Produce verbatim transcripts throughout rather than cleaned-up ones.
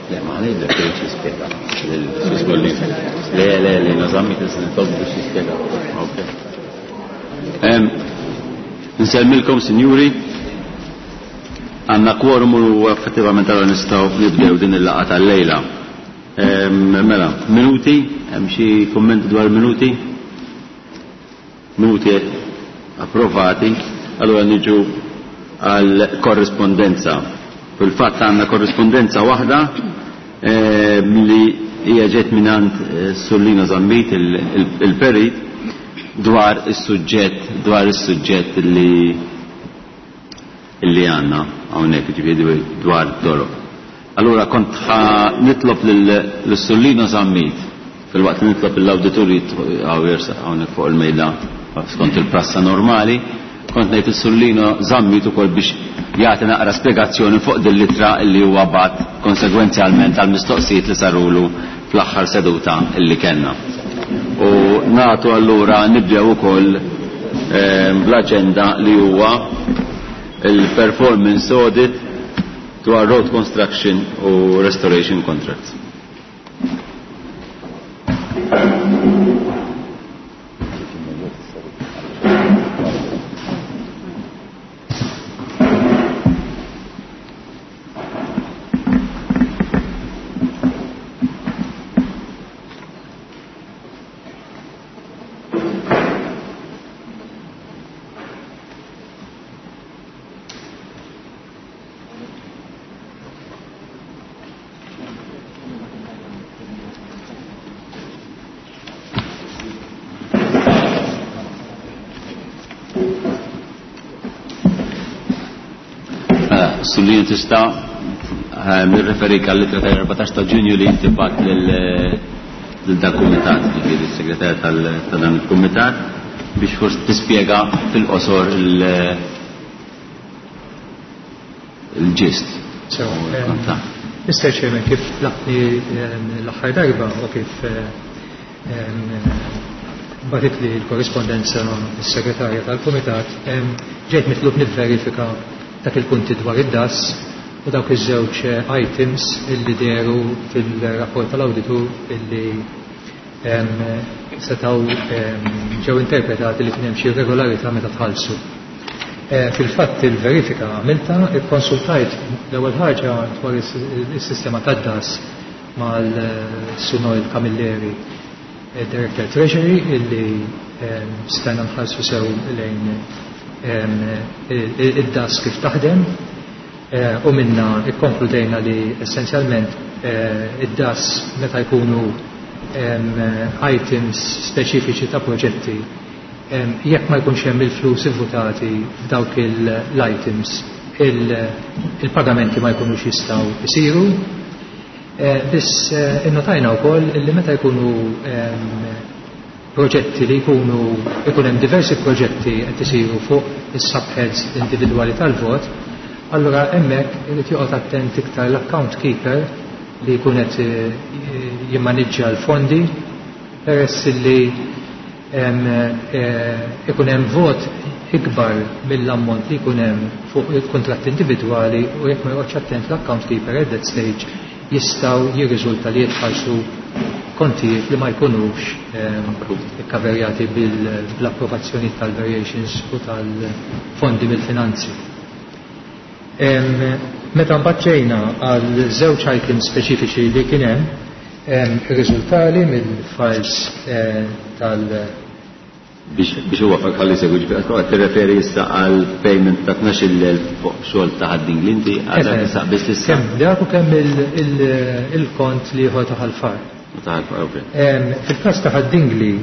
Le, ma ngħidlek irid jispjega. Le, le, le, nażammi tista' nitolbu biex jispjega. Okay. Nsellmilkom, sinjuri, għandna kworum u effettivament għal nistgħu nibdew din il-laqgħa tal-lejla. Mela, minuti, hemm xi kummenti dwar minuti? Minuti approvati, allora niġu għal korrispondenza. Fil-fatt għandna korrispondenza waħda li hija ġiet mingħand Sullino Zammit il-perit dwar is-suġġett dwar is-suġġett li li għandna hawnhekk, ġifieri dwar toroq. Allura kont nitlob lil Sullino Zammit fil-waqt li nitlob l-awditur hawnhekk fuq il-mejda skont il-prassa normali, kont ngħid is-Sullino Zammit ukoll biex jagħti naqra spjegazzjoni fuq din l-ittra li huwa bagħat konsegwenzjalment għal mistoqsijiet li sarulu fl-aħħar seduta illi kellna. U nagħtu allura nibdew ukoll bl-aġenda li huwa il-performance audit dwar road construction u restoration contracts. Sullin tista' nirreferik għall-ittra tal-erbatax ta' Ġunju li inti bagħat lil dal-kumitat, ġifieri s-segretarja ta' dan il-kumitat, biex forsi tispjega fil-qosor il-ġist. Mister Chairman, kif laqni l-aħħar darba u kif bagħtit li l-korrispondenza s-segretarja tal-kumitat, ġejt mitlub nivverifika dak il-punti dwar id-D A S u dawk iż-żewġ items illi dehru fil-rapport tal-awditur illi setgħu ġew interpretati li kien hemm xi irregolarità meta tħallsu. Fil-fatt il-verifika għamilta, ikkonsultajt l-ewwel ħaġa dwar is-sistema tad-D A S mal-Sur Noel Camilleri, Director Treasury, illi stajna nħallsu sew lejn id-D A S kif taħdem, u minna ikkonkludejna li essenzjalment id-D A S meta jkunu items speċifiċi ta' proġetti, jekk ma jkunx hemm il-flus ivvutati f'dawk l-items, il-pagamenti ma jkunux jistgħu jsiru. Biss innotajna wkoll li meta jkunu proġetti li jkunu ikun hemm diversi proġetti qed isiru fuq is-subheads individwali tal-vot, allura hemmhekk irid joqgħod attent iktar l-account keeper li jkun qed jimmaniġġja l-fondi, peress li ikun hemm vot ikbar mill-ammont li jkun hemm fuq il-kuntratt individwali, u jekk ma joqgħodx attent l-account keeper at that stage jistgħu jirriżulta li jitħallsu kontijiet li ma jkunux ikkaverjati bl-approvazzjoni tal-variations u tal-fondi mill-finanzi. Meta mbagħad ġejna għal żewġ items speċifiċi li kien hemm, irriżultali mill-files tal- Biex huwa ħalli segwi, ġifieri qed tirreferi issa għal payment ta' tnax-il elf fuq xogħol ta' Ħad-Dingli inti għadha tisaq biss issa. Kemm dak u kemm il-kont li ieħor ta' Ħal Far. Ta' Ħal Far, ok. Fil-każ ta' Ħad-Dingli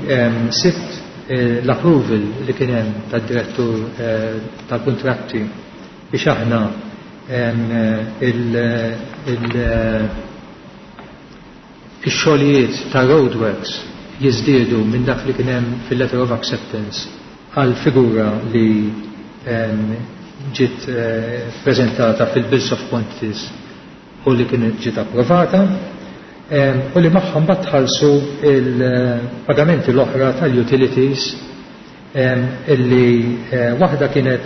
sibt l-approval li kien hemm tad-direttur tal-kuntratti biex aħna ix-xogħlijiet ta' roadworks jiżdiedu minn dak li kien hemm fil-letter of acceptance għal figura li ġiet preżentata fil-bills of quantities u li kienet ġiet approvata, u li magħhom mbagħad tħallsu il-pagamenti l-oħra tal-utilities, illi waħda kienet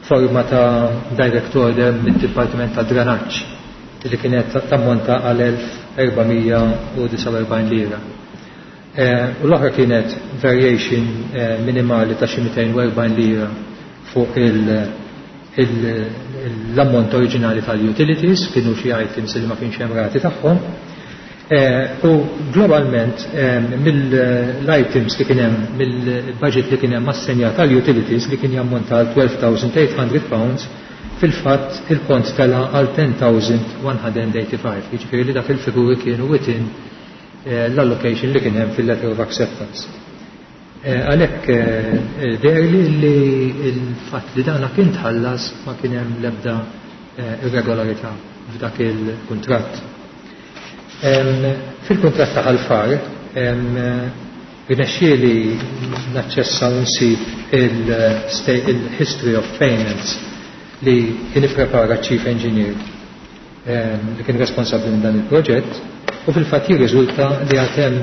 forma ta' direct order mid-Dipartiment ta' Dranaġġ li kienet tammonta għal elf erba' mija u disgħa u erbgħin lira. U l-oħra kienet variation minimali ta' xi mitejn u erbgħin lira fuq l-ammont oriġinali tal-utilities, kienu xi items li ma kienx hemm rati tagħhom. U globalment mill-items li kien hemm, mill-budget li kien hemm assenjat tal-utilities li kien jammonta għal twelve thousand eight hundred pounds, fil-fatt il-kont tela għal ten thousand one hundred eighty-five, jiġifieri li dak il-figuri kienu within l-allocation li kien hemm fil-letter of acceptance. Għalhekk deherli li l-fatt li dana kien tħallas ma kien hemm l-ebda irregolarità f'dak il-kuntratt. Fil-kuntratt ta' Ħal Far, irnexxieli naċċessa u nsib il-history of payments li kien ipprepara Chief Engineer li kien responsabbli minn dan il-proġett, u fil-fatt jirriżulta li għad hemm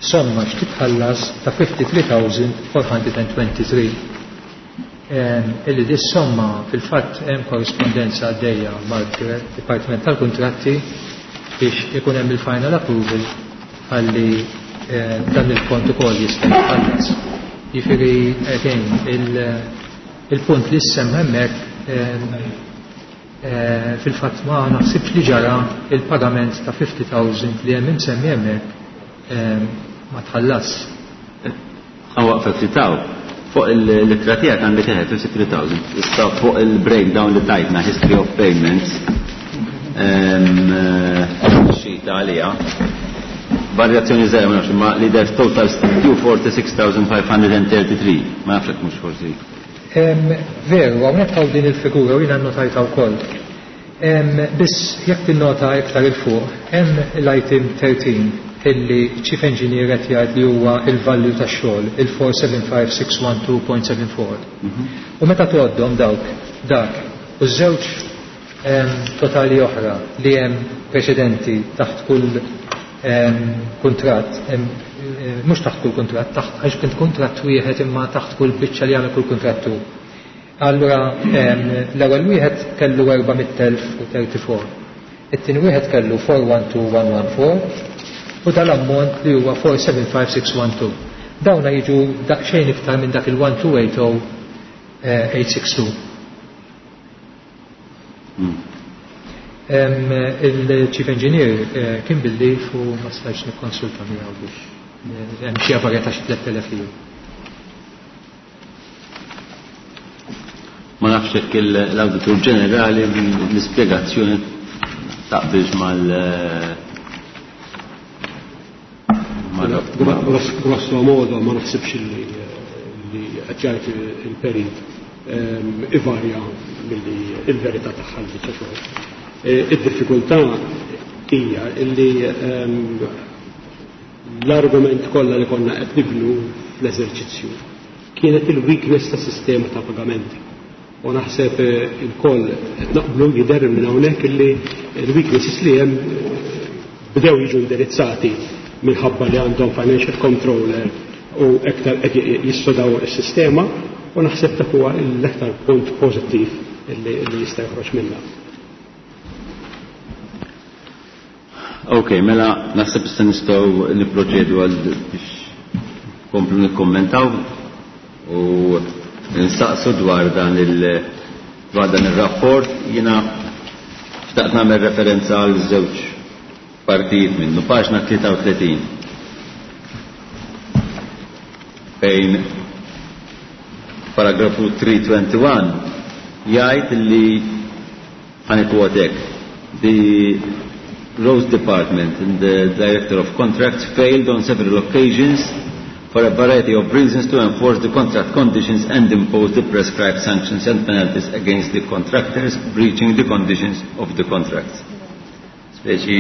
somma x'titħallas ta' fifty-three thousand four hundred and twenty-three. Illi dis somma fil-fatt hemm korrispondenza għaddejja mal-Dipartiment tal-Kuntratti biex ikun hemm il-final approval ħalli dan il-kont ukoll jista' jitħallas. Jiġifieri again il-punt li semma hemmhekk fil-fatt ma naħsibx li ġara il-pagament ta' fifty thousand li hemm imsemmi hemmhekk ma tħallas. Waqfet li taw. Fuq il-littra tiegħek għandek eħe fifty-three thousand. Issa fuq il-breakdown li tajtna history of payments xita għalija. Varjazzjoni żgħira ma nafx, imma li der total due forty-six thousand five hundred and thirty-three. Ma nafx hekk mhux forsi. Veru, hawnhekk hawn din il-figura u jiena nnotajtha wkoll. Biss jekk tinnota iktar il fuq, hemm l-item thirteen illi Chief Engineer qed jgħid li huwa il-value tax-xogħol, il four seven five six one two point seven four. U meta tgħoddhom dawk dak u żewġ totali oħra li hemm preċedenti taħt kull kuntratt, mhux taħt kull kuntratt, taħt għax kien kuntratt wieħed imma taħt kull biċċa li jagħmel kull kuntrattu. Allura l-ewwel wieħed kellu erba' mitt elf u thirty-four. It-tieni wieħed kellu four one two one one four u dal-ammont li huwa four seven five six one two. Dawna jiġu daqsxejn iktar minn dak il one two eight oh eight six two. Il-Chief Engineer kien bil-lif u ma stajtx nikkonsulta miegħu biex hemm xi varjetà xi tliet elef lira. Ma nafx jekk l-Awditur Ġenerali l-ispjegazzjoni taqbilx mal Grosso modo ma naħsibx li qed jgħid il-perit ivarja milli il-verità tagħha l-biċċa xogħol. Id-diffikultà hija li l-argument kollha li konna qed nibnu fl-eżerċizzju kienet il-weakness ta' sistema ta' pagamenti. U naħseb il-koll qed naqblu jidher minn hawnhekk illi l-weaknesses li hemm bdew jiġu indirizzati minħabba li għandhom financial controller u iktar qed jissodaw is-sistema, u naħseb dak huwa l-aktar punt pożittiv li jista' joħroġ minnha. Ok, mela naħseb issa nistgħu nipproċedu għal biex komplu nikkommentaw u nsaqsu dwar dan il dwar dan ir-rapport. Jiena xtaqt nagħmel referenza għal żewġ partijiet minnu, paġna tlieta u tletin fejn paragrafu three twenty-one jgħid li ħanikwotek the Roads Department and the Director of Contracts failed on several occasions for a variety of reasons to enforce the contract conditions and impose the prescribed sanctions and penalties against the contractors breaching the conditions of the contracts. Speċi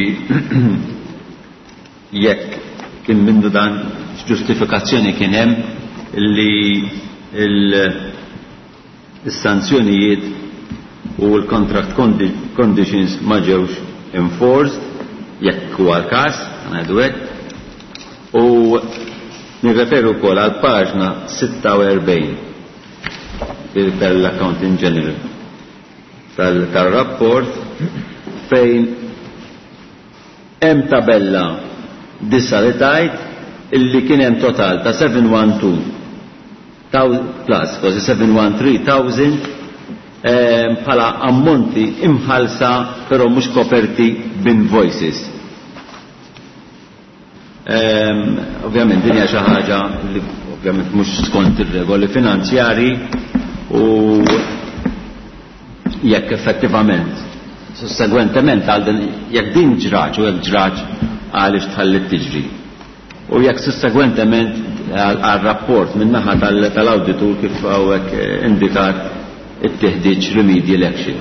jekk kien minnu dan ġustifikazzjoni kien hemm li il-sanzjonijiet u l-contract condi-, conditions ma ġewx enforced, jekk huwa l-każ, ngħidu hekk. U nirreferu wkoll għal paġna sitta u erbgħin tal-Accounting General tal-rapport fejn hemm tabella disa li tajt illi kien hemm total ta' seven one two plus kważi seven one three thousand bħala ammonti imħalsa però mhux koperti b'invoices. Ovvjament din hija xi ħaġa li ovvjament mhux skont ir-regoli finanzjari u jekk effettivament sussegwentement għal din jekk din ġraġ u jekk ġraġ għaliex tħallit tiġri. U jekk sussegwentement għal rapport min-naħa tal-awditur kif hawnhekk indikat it-teħdiġ remedial action.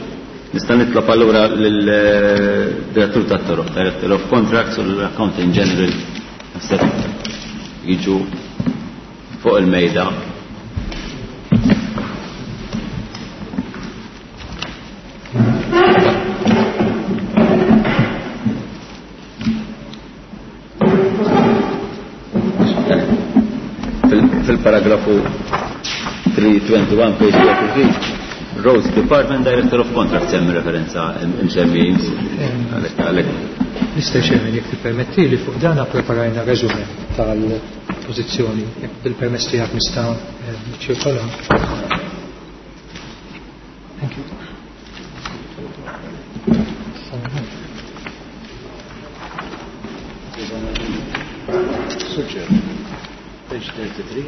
Nista' nitlob allura lill-direttur tat-toroq, Director of Contracts u l-Accounting General naħseb jiġu fuq il-mejda. Fil-paragrafu three twenty-one page thirty-three, Roads Department Director of Contracts hemm referenza msemmi għalhekk. Mister Chairman, jekk tippermetti li fuq dan preparajna resume tal-pożizzjoni, jekk bil-permess tiegħek nista' niċċirkola. Thank you. Suġġer. Page thirty-three.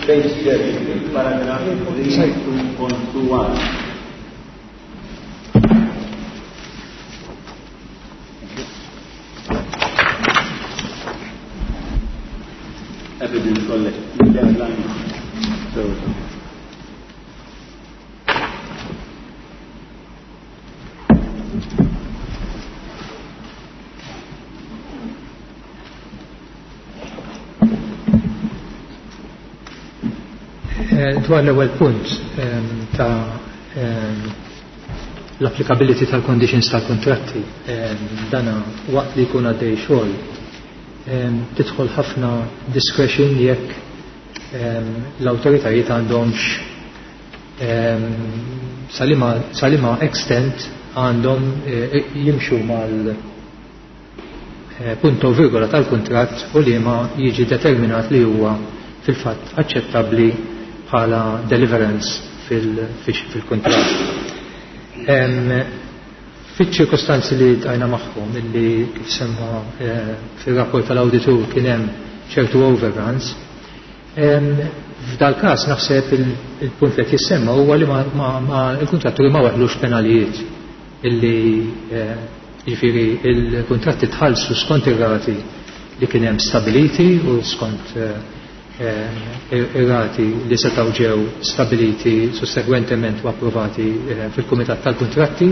Page thirty-three, paragraph three two point two one. Evidence collected. Deadline. So. Dwar l-ewwel punt ta' l-applicability tal-conditions tal-kontratti, dana waqt li jkun għaddej xogħol tidħol ħafna discretion jekk l-awtoritajiet għandhomx salima extent għandhom jimxu mal punto virgola tal-kuntratt u li ma jiġi determinat li huwa fil-fatt aċċettabbli bħala deliverance fil-kuntratt. Fiċ-ċirkostanzi li tajna magħhom illi kif semma fir-rapport tal-awditur kien hemm ċertu overruns, f'dal każ naħseb il-punt li qed jissemma huwa li il-kuntratturi ma waħlux penalijiet illi jiġifieri il-kuntratti tħallsu skont ir-rati li kien hemm stabiliti u skont ir-rati li setgħu ġew stabiliti sussegwentement u approvati fil-Kumitat tal-Kuntratti,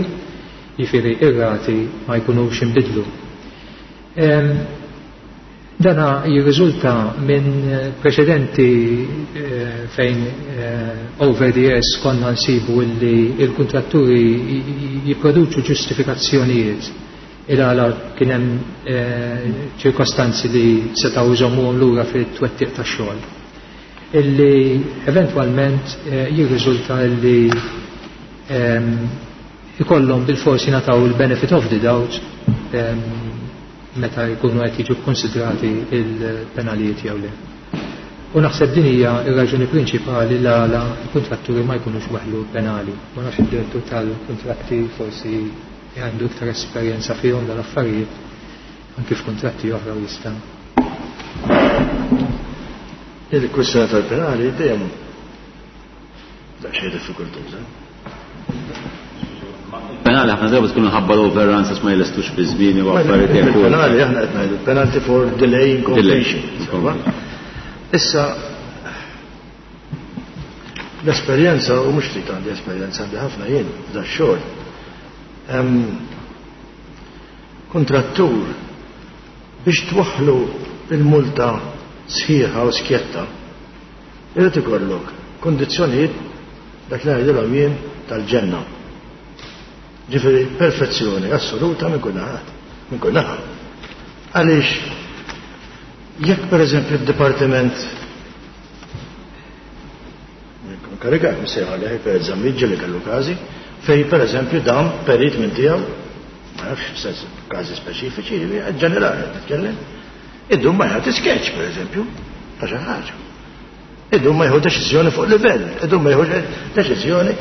jiġifieri ir-rati ma jkunux inbidlu. Dana jirriżulta minn preċedenti fejn over the years konna nsibu illi il-kuntratturi jipproduċu ġustifikazzjonijiet il-għala kien hemm ċirkostanzi li setgħu jżommuhom lura fit-twettiq tax-xogħol. Illi eventwalment jirriżulta illi ikollhom bil-forsi nataw il-benefit of the doubt meta jkunu qed jiġu kkonsidrati il-penalijiet jew le. U naħseb din hija r-raġuni prinċipali l għala l-kuntratturi ma jkunux waħlu penali. Ma nafx id-direttur tal-kuntratti forsi għandu iktar esperjenza fihom dal-affarijiet anki f'kuntratti oħra u jista'. Il-kwistjoni tal-penali dejjem daqsxejn diffikultuża. Penali ħafna drabi tkun ħabba l-overruns għax ma jlestux fi żmien u affarijiet hekk. Il-penali aħna qed ngħidu penalty for delay in completion. Issa l-esperjenza u mhux trid għandi esperjenza għandi ħafna jien f'da x-xogħol. Kontrattur biex twaħħlu il-multa sħiħa u skjetta irid ikollok kondizzjonijiet dak li ngħidilhom jien tal-ġenna. Ġifieri perfezzjoni assoluta minn kull naħat, minn kull naħa. Għaliex jekk pereżempju d-dipartiment Inkarigat msejħ għalih per Zammit li kellu każi fej pereżempju dawn perit minn tiegħu, ma nafx sens każi speċifiċi, ġenerali qed nitkellem, idum ma jagħti sketch pereżempju ta' xi ħaġa. Idum ma jieħu deċiżjoni fuq livell, idum ma jieħu deċiżjoni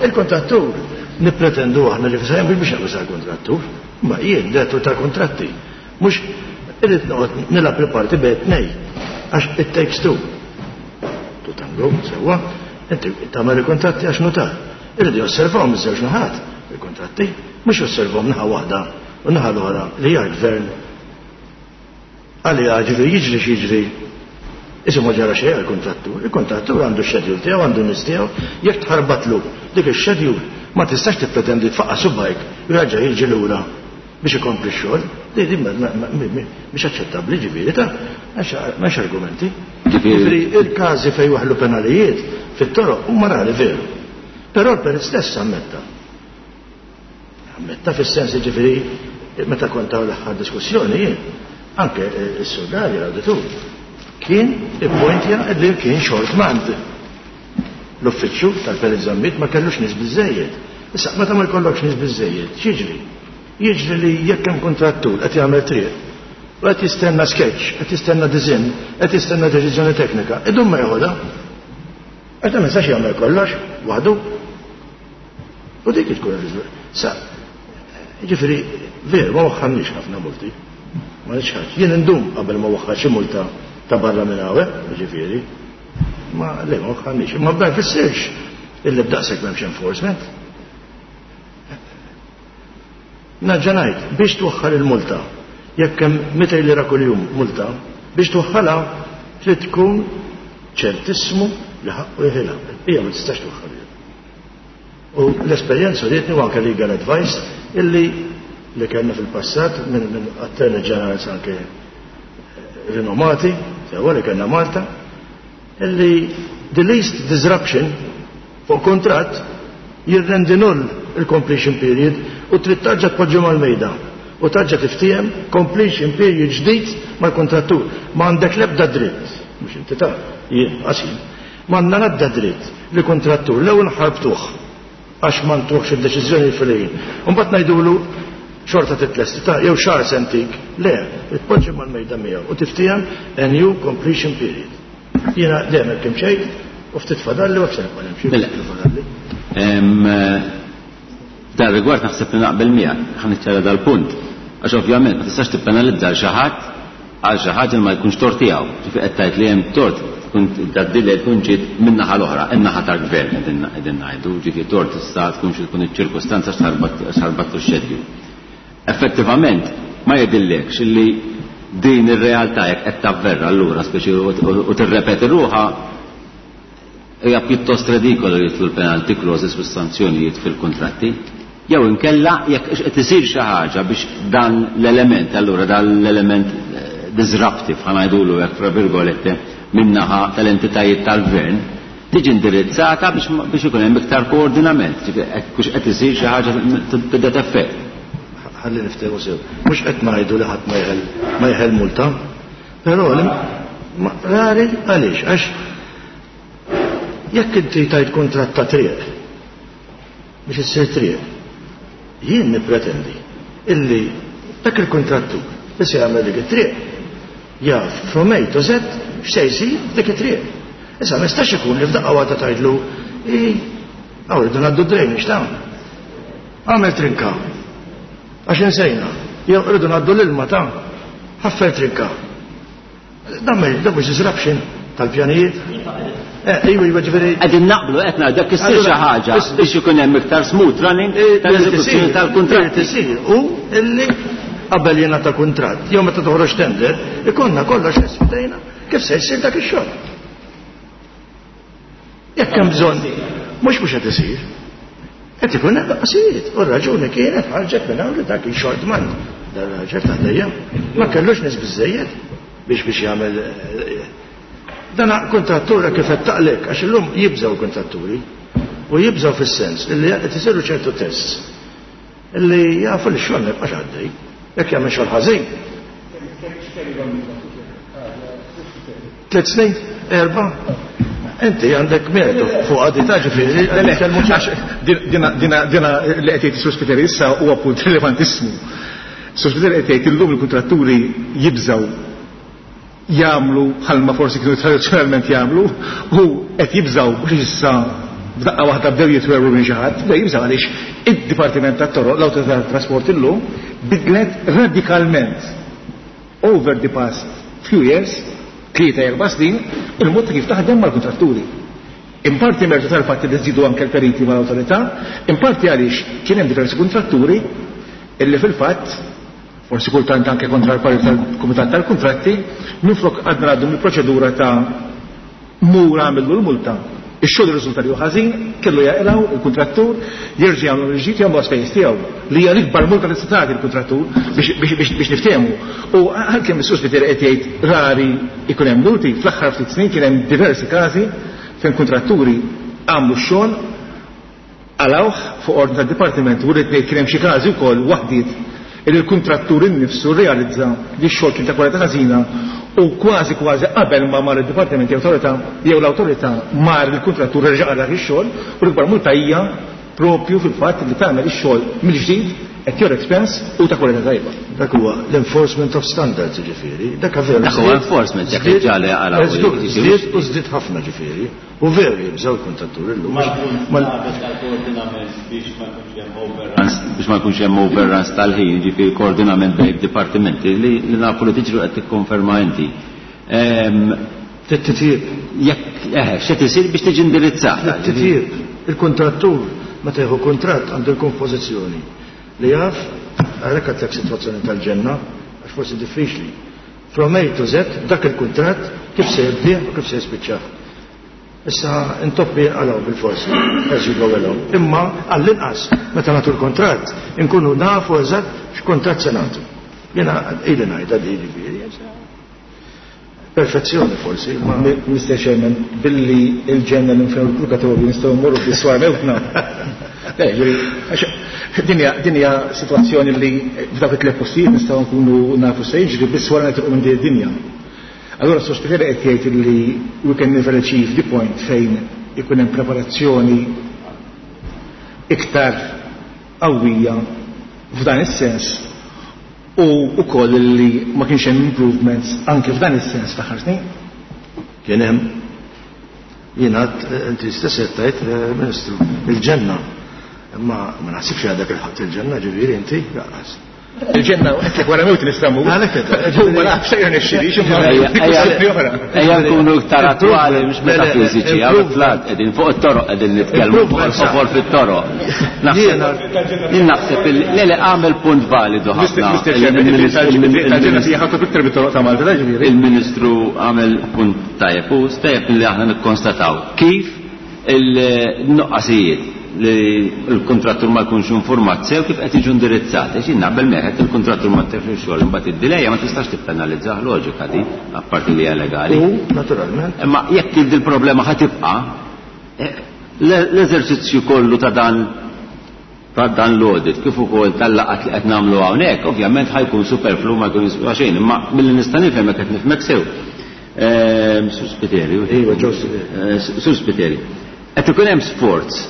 il-kontrattur. Nippretendu aħna li fisajn biex naqbis kontrattur, ma jien direttur tal-kontratti. Mhux irrid noqgħod nilgħab il-parti bejn tnej, għax it takes two. To tango, sewwa, inti tagħmel il-kontratti għax notar. Irridu josservawhom iż-żewġ naħat il-kontratti, mhux josservawhom naħa waħda u naħa l-oħra li hija l-gvern. Għalija ġifieri jiġri x'jiġri, isu ma ġara xejn għall-kontrattur. Il-kontrattur għandu x-schedule tiegħu, għandu n-nies tiegħu, jekk tħarbatlu dik ix-schedule ma tistax tippretendi tfaqqa' subajk u jerġa' jiġi lura biex ikompli x-xogħol. Di di mhix aċċettabbli ġifieri ta' m'hemmx argumenti. Ġifieri il-każi fejn waħlu penalijiet fit-toroq huma rari veru. Però l-perit stess ammetta. Ammetta fis-sens ġifieri meta kont hawn l-aħħar diskussjoni jien, anke s-Sur Galea l-awditur kien ippointja li kien short manned. L-uffiċċju tal-Perit Zammit ma kellux nies biżejjed. Issa meta ma jkollokx nies biżejjed, x'jiġri? Jiġri li jekk hemm kontrattur qed jagħmel triq u qed jistenna sketch, qed jistenna design, qed jistenna deċiżjoni teknika, idum ma jeħodha. Għax ma jistax jagħmel kollox waħdu. U dik tkun ir-riżultat. Sa, jiġifieri veru ma waħħalniex ħafna multi. Ma nixħax. Jien indum qabel ma waħħal xi multa ta' barra minn hawn, jiġifieri. Ma le ma waħħalniex. Ma bda jfissirx illi b'daqshekk m'hemmx enforcement. Naġġa ngħid, biex twaħħal il-multa, jekk hemm mitejn lira kuljum multa, biex twaħħalha trid tkun ċertissmu li ħaqqu jeħilha. Hija ma tistax twaħħal. U l-esperjenza rietni u anke legal advice illi li kellna fil-passat minn min attorney generals anke rinomati, sewwa li kellna Malta, illi the least disruption fuq kontratt jirrendi null il-completion period u trid tarġa' tpoġġi mal-mejda u tarġa' tiftiehem completion period ġdid mal-kontrattur. Ma għandek l-ebda dritt, mhux inti ta' jien qasim, ma għandna l-ebda dritt li kontrattur l-ewwel ħarbtuh għax ma ntuħx id-deċiżjoni fil-ħin. U mbagħad ngħidulu xorta titlesti ta' jew xahar sentik. Le, tpoġġi mal-mejda miegħu u tiftiehem a new completion period. Jiena dejjem hekk imxejt u ftit fadalli u hekk se nibqa' nimxi. Mela. Dan rigward naħseb li naqbel miegħek, ħa niċċara dal-punt. Għax ovvjament ma tistax tippenalizza għal xi ħadd għal xi ħaġa li ma jkunx tort tiegħu. Ġifieri qed tgħid li hemm tort tkun dad-dilla tkun ġiet min-naħa l-oħra, in-naħa tal-gvern qegħdin ngħidu, ġifieri tort tista' tkun xi tkun iċ-ċirkustanza x'ħarbattu x-xedju. Effettivament ma jidillekx illi din ir-realtà jekk qed tavverra allura speċi u tirrepeti ruħha hija pjuttost redikola li jidħlu l-penalty clauses u s-sanzjonijiet fil-kontratti. Jew inkella jekk qed isir xi ħaġa biex dan l-element, allura dan l-element disruptive, ħa ngħidulu hekk fra virgolette, min-naħa tal-entitajiet tal-gvern, tiġi indirizzata biex, biex ikun hemm iktar koordinament, ġifieri hekk qed isir xi ħaġa tibda effett. Ħalli niftehmu sew. Mhux qed ngħidu li ħadd ma jeħel ma jeħel multa, però rari għaliex għax jekk inti tajt kuntratt ta' triq biex issir triq, jien nippretendi illi dak il-kontrattur li se jagħmel dik it-triq jaf from A to Z x'se jsir dik it-triq. Issa ma jistax ikun li f'daqqa waħda tgħidlu i hawn irridu ngħaddu drainage ta' għamel trinka għax insejna, jew irridu ngħaddu l-ilma ta' ħaffer trinka. Dan ma dan mhux disruption tal-pjanijiet. Eh, iva, iva, ġifieri. Qegħdin naqblu qed ngħidu dak issir xi ħaġa biex ikun hemm iktar smooth running tal-eżekuzzjoni tal-kuntratt. Isir u illi qabel jingħata kuntratt, jew meta toħroġ tender, ikonna kollox esfidejna kif se jsir dak ix-xogħol. Jekk hemm bżonn, mhux mhux qed isir. Qed ikun hemm qasijiet, u r-raġuni kienet ħarġet minn hawn li dak il-short man, dan raġel ta' dejjem, ma kellux nies biżejjed biex biex jagħmel dan kontrattura kif qed taqlek, għax illum jibżgħu kontratturi u jibżgħu fis-sens illi qed isiru ċertu tests illi jafu li x-xogħol ma jibqax għaddej. Jekk jagħmel xogħol ħażin. Tliet snin, erba'. Inti għandek mertu fuq għadita ġifieri. Dina li qed jgħid is-Sur Spiteri issa huwa punt rilevantissimu. Sur Spiteri qed jgħid illum il-kuntratturi jibżgħu jagħmlu bħalma forsi kienu tradizzjonalment jagħmlu u qed jibżgħu biex issa f'daqqa waħda bdew jitwerru minn xi ħadd, bdew jibżgħu għaliex id-Dipartiment tat-Toroq, l-Awtorità tat-Trasport illum bidlet radikalment over the past few years, tlieta erba' snin, il-mod ta' kif taħdem mal-kontratturi. In parti mertu tal-fatt li żidu anke l-periti mal-awtorità, in parti għaliex kien hemm diversi kontratturi illi fil-fatt forsi kultant anke kontra l-parir tal-Kumitat tal-Kuntratti, minflok għadna għaddu mill-proċedura ta' mur għamillu l-multa. Ix-xogħol irriżulta li hu ħażin, kellu jaqilgħu il-kuntrattur, jerġa' jagħmlu l-ġdid jagħmlu spejjeż tiegħu li hija l-ikbar multa li tista' tagħti l-kuntrattur biex niftehmu. U għalkemm is-Sur Spiteri qed jgħid rari ikun hemm multi, fl-aħħar ftit snin kien hemm diversi każi fejn kontratturi għamlu x-xogħol għalawh fuq ordni tad-dipartiment u rrid ngħid kien hemm xi każi wkoll waħdiet li l-kuntrattur innifsu rrealizza li x-xogħol kien ta' kwalità ħażina u kważi kważi qabel ma mar id-dipartiment jew awtorità jew l-awtorità mar il-kuntrattur reġa' qara ix-xogħol u l-ikbar multa hija propju fil-fatt li tagħmel ix-xogħol mill-ġdid at your expense u ta' kwalità tajba. Dak huwa l-enforcement of standards ġifieri, dak veru. Dak huwa enforcement jekk ġali għala. Żdied u żdied ħafna ġifieri. U veru jibżgħu l-kuntrattur illum. Biex ma jkunx hemm overruns tal-ħin, ġifieri koordinament bejn dipartimenti li nafu li tiġru qed tikkonferma inti. Titjib. Jekk eħe, x'qed isir biex tiġi indirizzata. Titjib. Il-kuntrattur meta jieħu kuntratt għandu jkun f'pożizzjoni li jaf għalhekk għandek sitwazzjoni tal-ġenna għax forsi diffiċli. From A to Z dak il-kuntratt kif se jibdih u kif se jispiċċah. Issa intoppi għalaw bil-forsi, as you go along. Imma għall-inqas meta nagħtu l-kuntratt inkunu nafu eżatt x'kuntratt se nagħtu. Jiena ili ngħidha di ġifieri. Perfezzjoni forsi, ma Mister Chairman, billi il-ġenna l-infern purgatorju nistgħu mmorru fis-swar mewtna. Din hija sitwazzjoni li f'dawk it-tliet postijiet nistgħu nkunu nafu se jiġri biss wara nitilqu minn din id-dinja. Allora s-Sur Spiteri qed jgħid li we can never achieve the point fejn ikun hemm preparazzjoni iktar qawwija f'dan is-sens u wkoll li ma kienx hemm improvements anke f'dan is-sens fl-aħħar snin. Kien hemm jien għad inti stess qed tgħid, Ministru, il-ġenna. Imma ma naħsibx għadek il-ħadd il-ġenna ġifieri inti lanqas. Il-ġenna qed wara mewt nistgħu. Għalhekk qed. Ma nafx xejn nixxiri, xi oħra. Ejja nkunu iktar attwali mhux metafiżiċi, hawn flat qegħdin fuq it-toroq qegħdin nitkellmu fuq il-ħofor fit-toroq. Jien naħseb le le għamel punt validu ħafna. Il-ġenna hija ħadd iktar bit-toroq ta' Malta, ġifieri. Il-Ministru għamel punt tajjeb u tajjeb li aħna nikkonstataw kif il-nuqqasijiet li l-kontrattur ma jkunx informat sew kif qed jiġu indirizzati. Xi naqbel meħed il-kontrattur ma tefx xogħol imbagħad id-dilejja ma tistax tippenalizzah, loġika di, apparti li hija legali. U naturalment. Imma jekk il-problema ħa tibqa', l-eżerċizzju kollu ta' dan ta' dan l-audit kif ukoll tal-laqat li qed nagħmlu hawnhekk, ovvjament ħajkun superflu ma jkun jiswa xejn, imma milli nista' nifhem qed nifhmek sew. Sur Spiteri, Iva, Joe Spiteri. Sur Spiteri. Qed ikun hemm sforz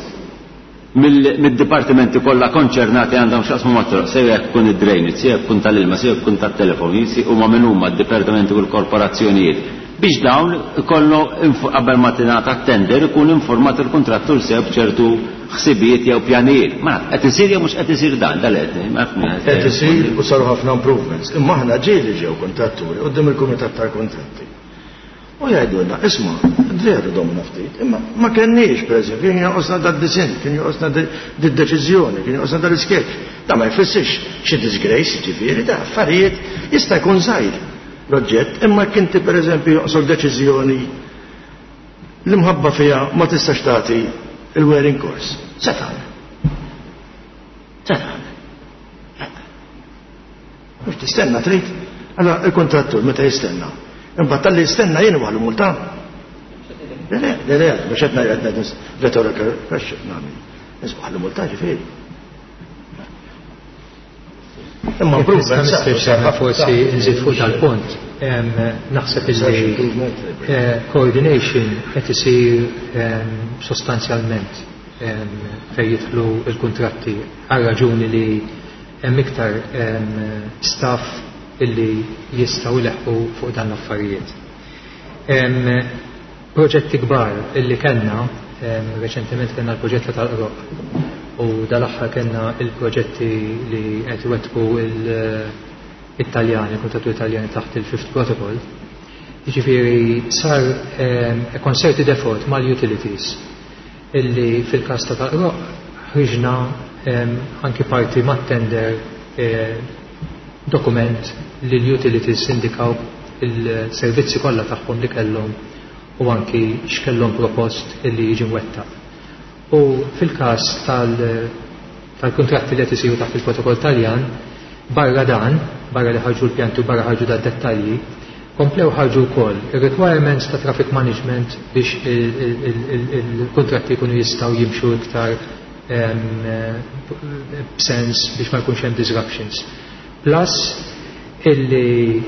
mid-dipartimenti kollha konċernati għandhom x'jaqsmu mat-toroq, sew jekk ikun id-drainage, sew jekk ikun tal-ilma, sew jekk ikun tat-telefon, huma min huma d-dipartimenti u l-korporazzjonijiet biex dawn ikollu qabel ma tingħata tender ikun informat il-kuntrattur sew b'ċertu ħsibijiet jew pjanijiet. Ma qed isir jew mhux qed isir dan, dal qed ma nafx. Qed isir u saru ħafna improvements. Imma aħna ġieli ġew kontratturi quddiem il-kumitat tal-kuntratti. U jgħidulna, isma', veru domna ftit, imma ma kenniex, per eżempju, kien jonqosna dad-disinn, kien jonqosna did-deċiżjoni, kien jonqosna dal-isketch. Da ma jfissirx xi disgrace, ġifieri, da affarijiet jista' jkun żgħir l-oġġett, imma jekk inti per eżempju jonqosok deċiżjoni li mħabba fiha ma tistax tagħti il-wearing course. Se tagħmel? Se tagħmel? Mhux tistenna trid? Allora il-kontrattur meta jistenna? Imbagħad tal-li jistenna jien waħlu multa. Le, le, le, le, mhux qed ngħid qed ngħid rhetorical question nagħmel. Nisbaħlu multa ġifieri. Imma Mister Chairman, forsi nżid fuq dal-punt. Naħseb illi coordination qed isir sostanzjalment fejn jidħlu l-kuntratti għal raġuni li hemm iktar staff illi jistgħu jleħħu fuq dan l-affarijiet. Proġetti kbar illi kellna, reċentement kellna l-proġett tal-Qroq u dal-aħħar kellna il-proġetti li qed iwettqu il-Italjani, il-kuntrattu Italjani taħt il-Fifth Protocol. Jiġifieri sar concerted effort mal-utilities illi fil-każ ta' tal-Qroq ħriġna anki parti mat-tender dokument li l-utilities indikaw il-servizzi kollha tagħhom li kellhom u anki x'kellhom propost illi jiġi mwettaq. U fil-każ tal-kuntratti li qed isiru taħt il-protokoll Taljan, barra dan, barra li ħarġu l-pjanti u barra ħarġu dad-dettalji, komplew ħarġu wkoll ir-requirements ta' traffic management biex il-kuntratti jkunu jistgħu jimxu iktar b'sens biex ma jkunx hemm disruptions. Plus illi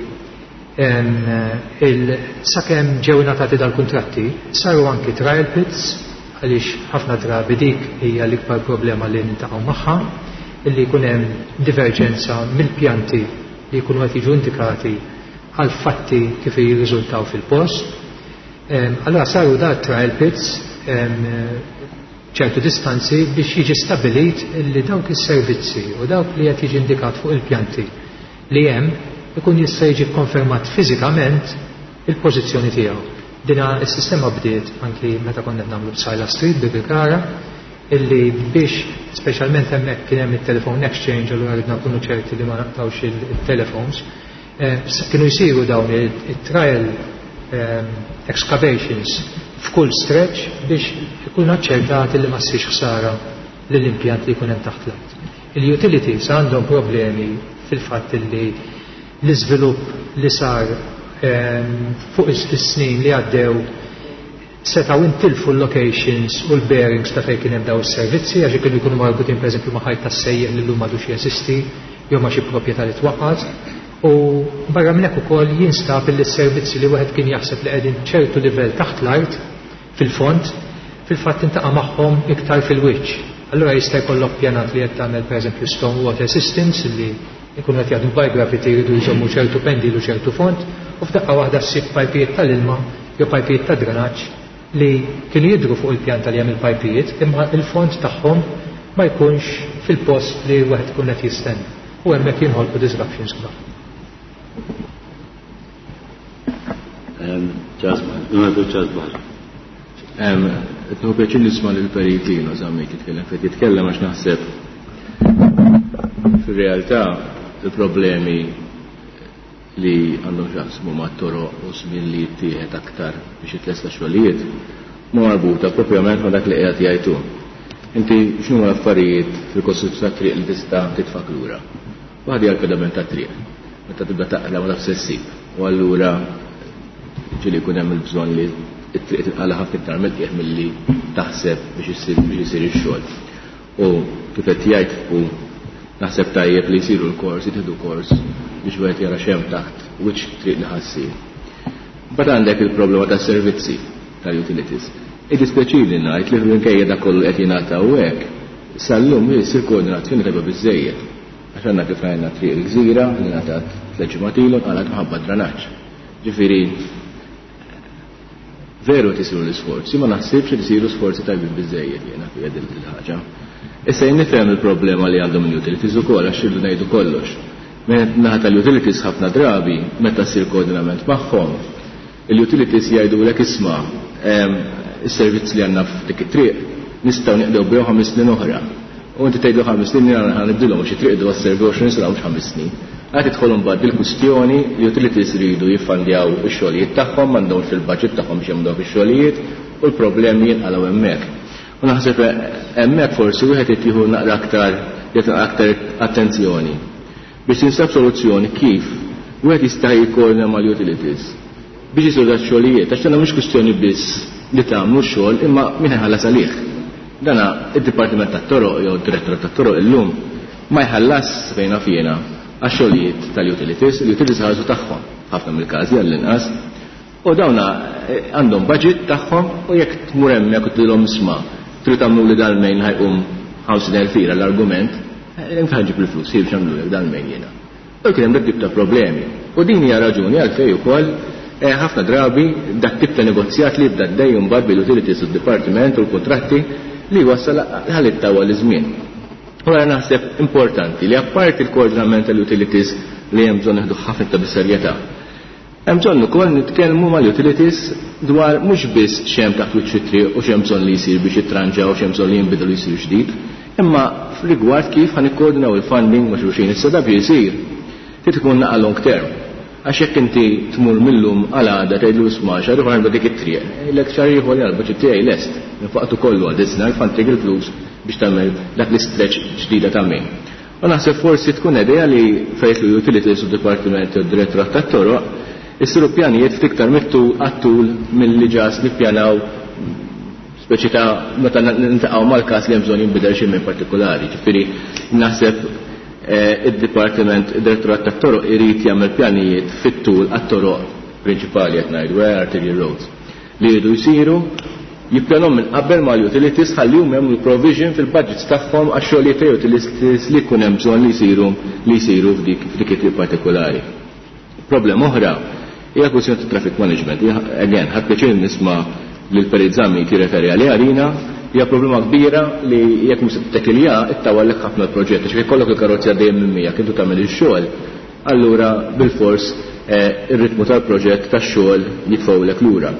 sakemm ġew ingħatati dal-kuntratti saru anki trial pits għaliex ħafna drabi dik hija l-ikbar problema li nintaqgħu magħha, illi jkun hemm diverġenza mill-pjanti li jkunu qed jiġu indikati għal fatti kif jirriżultaw fil-post. Allora saru da trial pits ċertu distanzi biex jiġi stabilit li dawk is-servizzi u dawk li qed jiġi indikat fuq il-pjanti li hemm ikun jista' jiġi konfermat fiżikament il-pożizzjoni tiegħu. Dina s-sistema bdiet anki meta konna qed nagħmlu b'Sajla Street Birkirkara, illi biex speċjalment hemmhekk kien hemm it-telephone exchange, allura ridna nkunu ċerti li ma naqtawx il-telephones, kienu jsiru dawn it-trial excavations f'kull stretch biex ikun aċċertati li ma ssirx ħsara lill-impjant li jkun hemm taħt l-art. Il-utilities għandhom problemi fil-fatt li l-iżvilupp li sar fuq is-snin li għaddew setgħu intilfu l-locations u l-bearings ta' fejn kien hemm daw is-servizzi għax kienu jkunu marbutin pereżempju ma' ħajt tas-sejjeħ li llum m'għadux jeżisti jew ma' xi proprjetà li twaqqat. U barra minn hekk ukoll jinstab li s-servizzi li wieħed kien jaħseb li qegħdin ċertu livell taħt l-art fil-fond, fil-fatt intaqa' magħhom iktar fil-wiċċ. Allura jista' jkollok pjanat li qed tagħmel pereżempju stone water systems li jkunu qed jaħdmu by gravity jridu jżommu ċertu pendil u ċertu fond, u f'daqqa waħda ssib pajpijiet tal-ilma jew pajpijiet ta' drenaġġ li kienu jidhru fuq il-pjanta li hemm il-pajpijiet, imma il-fond tagħhom ma jkunx fil-post li wieħed ikun qed jistenna. U hemmhekk jinħolqu disruptions kbar. Qed nieħu pjaċir nisma' lil Perit Lino Zammit jitkellem fejn jitkellem għax naħseb fir-realtà il-problemi li għandhom x'jaqsmu mat-toroq u żmien li jittieħed aktar biex jitlesta xogħlijiet ma marbuta propjament ma' dak li qiegħed jgħidu. Inti x'inhu l-affarijiet fil-kostruzzjoni tat-triq li tista' titfak lura? Waħda hija l-pedament tat-triq. Meta tibda taqla ma tafx se ssib. U allura ġieli jkun hemm il-bżonn li t-triq tinqala ħafna iktar mill-qiegħ milli taħseb biex issir biex isir ix-xogħol. U kif qed jgħid u naħseb tajjeb li jsiru l-kors, jitieħdu kors biex wieħed jara x'hemm taħt wiċċ triq li ħassir. Mbagħad għandek il-problema tas-servizzi tal-utilities. Iddispjaċini ngħid li minkejja dak kollu qed jingħata hawnhekk, sal-lum issir koordinazzjoni tajba biżżejjed. Għax għandna kif rajna triq il-gżira li ngħatat tliet ġimgħat ilu nqalgħet minħabba dranaġġ. Ġifieri veru qed isiru l-isforzi, ma naħsibx li isiru sforzi tajbin biżżejjed jiena fiha din il-ħaġa. Issa jien nifhem il-problema li għandhom il-utilities ukoll għax irridu ngħidu kollox. Naħa tal-utilities ħafna drabi meta ssir koordinament magħhom, il-utilities jgħidulek isma' is-servizz li għandna f'dik it-triq nistgħu nieqdew bihom ħames snin oħra. U inti tgħidu ħames snin jiena ħa nibdilhom xi triq idu għas-servi għoxrin sena mhux ħames snin. Għad tidħol imbagħad bil-kwistjoni li utilities iridu jiffandjaw ix-xogħlijiet tagħhom, m'għandhomx fil-budget tagħhom biex jagħmlu dawk ix-xogħlijiet u l-problemi jinqalgħu hemmhekk. U naħseb hemmhekk forsi wieħed irid jieħu naqra aktar jagħti aktar attenzjoni biex tinsab soluzzjoni kif wieħed jista' jikkoordina mal-utilities biex isiru dak xogħlijiet, għax tagħna mhux kwistjoni biss li tagħmlu x-xogħol imma min ħallas għalih. Dana id-Dipartiment tat-Toroq jew id-Direttorat tat-Toroq illum ma jħallas fejna fjena għax-xogħlijiet tal-utilities, il-utilities ħarsu tagħhom. ħafna mill-każi għall-inqas. U dawna għandhom budget tagħhom u jekk tmur hemmhekk u tgħidilhom isma' trid tagħmlu li dal-mejn ħajqum ħamsin elf lira l-argument, inti ħaġib il-flus, biex nagħmlulek dal-mejn jiena. U kien hemm dak tip ta' problemi. U din hija raġuni għalfejn ukoll ħafna drabi dak tip ta' negozjat li jibda għaddej mbagħad bil-utilities u d-dipartiment u l-kuntratti li wassal ħalli ttawwal iż-żmien. U għara naħseb importanti li apparti il-koordinament tal-utilities li hemm bżonn nieħdu ħafna ta' bis-serjetà. Hemm bżonn ukoll nitkellmu mal-utilities dwar mhux biss x'hemm taħt wiċċ it-triq u x'hemm bżonn li jsir biex jitranġaw u x'hemm bżonn li jinbidel u jsir ġdid, imma rigward kif ħa nikkoordinaw il-funding ma' xulxin. Issa dak jsir trid ikun naqa' long term. Għax jekk inti tmur millum għal għada tgħidlu isma' xahar ieħor għandha dik it-triq, jgħidlek xahar ieħor jgħal budget tiegħi lest, nfaqtu kollu għal dis-sena l-funding il-flus biex tagħmel dak l-istretch ġdida ta' min. U naħseb forsi tkun idea li fejn l-utilities u d-dipartiment u d-direttorat tat-toroq isiru pjanijiet ftit iktar mit-tul għat-tul milli ġas nippjanaw speċi ta' meta nintaqgħu mal-każ li hemm bżonn jinbidel xi minn partikolari. Ġifieri naħseb id-dipartiment, id-direttorat tat-toroq irid jagħmel pjanijiet fit-tul għat-toroq prinċipali qed ngħidu, arterial roads, li jridu jsiru jippjanhom minn qabel mal-utilities ħalli huma jagħmlu provision fil-budgets tagħhom għax-xogħlijiet ta' utilities li jkun hemm bżonn li jsiru li jsiru f'dik f'dik it-triq partikolari. Problema oħra hija kwistjoni ta' traffic management. Again, ħadd pjaċir nisma' lil Perit Zammit jirreferi għaliha għalina, hija problema kbira li jekk mhux se tittekilja ittawallek ħafna l-proġett, għax jekk ikollok il-karozzi għaddejjin minn miegħek intu tagħmel ix-xogħol, allura bilfors ir-ritmu tal-proġett tax-xogħol jitfgħulek lura.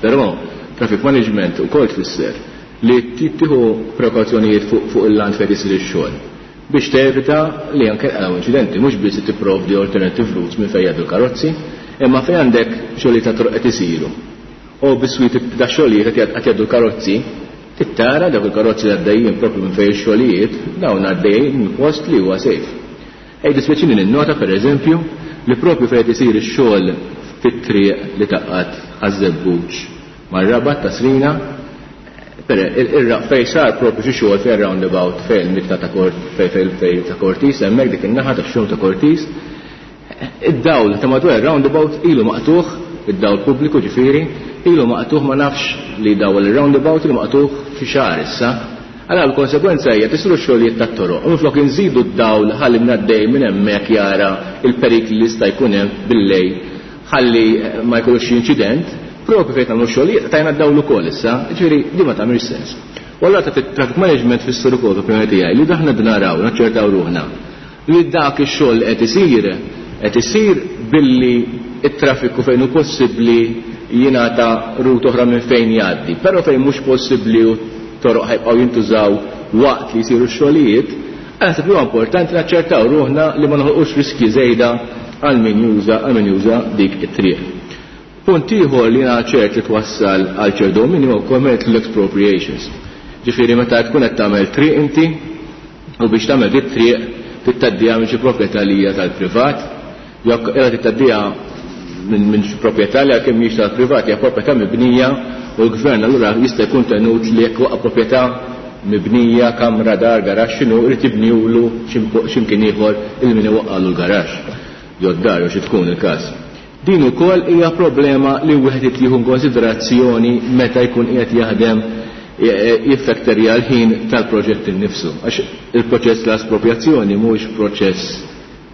Però traffic management ukoll tfisser li tieħu prekawzjonijiet fuq il-land fejn isir ix-xogħol biex tevita li anke nqalgħu inċidenti, mhux biss tipprovdi alternative routes minn fejn jgħaddu l-karozzi, imma fejn għandek xogħlijiet ta' toroq qed isiru. U biswit ta' xogħlijiet qed jgħaddu l-karozzi, tittara dawk il-karozzi li għaddejjin propju minn fejn ix-xogħlijiet, dawn għaddejjin minn post li huwa safe. Ej dispjaċini ninnota pereżempju li propju fejn qed isir ix-xogħol fit-triq li taqgħad Ħaż-Żebbuġ mar-Rabat ta' Srina, fejn sar propju xi xogħol fejn roundabout fejn il-mitna ta' fejn fejn ta' Cortis, hemmhekk dik in-naħa tax-xogħol ta' Cortis, id-dawl ta' madwar ir-roundabout ilu maqtuħ, id-dawl pubbliku ġifieri, ilu maqtuħ ma nafx li dawl ir-roundabout ilu maqtuħ fi xahar issa. Allora l-konsegwenza hija tisiru x-xogħlijiet tat-toroq u minflok inżidu d-dawl ħalli minn minn hemmhekk jara il-perikli li jista' jkun hemm bil-lejl ħalli ma jkunx xi inċident, propju fejn tagħmlu xogħlijiet tajna d-dawl ukoll issa, ġifieri di ma tagħmilx sens. U allura ta' traffic management fissur ukoll fl-opinjoni tiegħi li daħna naraw naċċertaw ruħna li dak ix-xogħol qed isir qed isir billi it-traffiku fejn hu possibbli jingħata rut oħra minn fejn jgħaddi, però fejn mhux possibbli u toroq ħajbqgħu jintużaw waqt li jsiru x-xogħlijiet, naħseb li huwa importanti naċċertaw ruħna li ma noħolqux riskji żejda għal min juża għal min juża dik it-triq. Punt ieħor li jiena ċert li twassal għal ċert domini huwa wkoll l-expropriations. Ġifieri meta tkun qed tagħmel triq inti u biex tagħmel dik triq titgħaddiha minn xi proprjetà li hija tal-privat, jew qiegħda titgħaddiha minn minn xi proprjetà li għalkemm mhijiex tal-privat hija proprjetà mibnija u l-gvern allura jista' jkun tenut li jekk waqa' proprjetà mibnija, kamra, dar, garaxx, x'inhu irid jibniulu x'imkien ieħor il min iwaqqalu l-garaxx jew d-dar jew xi tkun il-każ. Din ukoll hija problema li wieħed irid jieħu konsiderazzjoni meta jkun qiegħed jaħdem jiffekterja l-ħin tal-proġett innifsu. Għax il-proċess tal-esproprjazzjoni mhuwiex proċess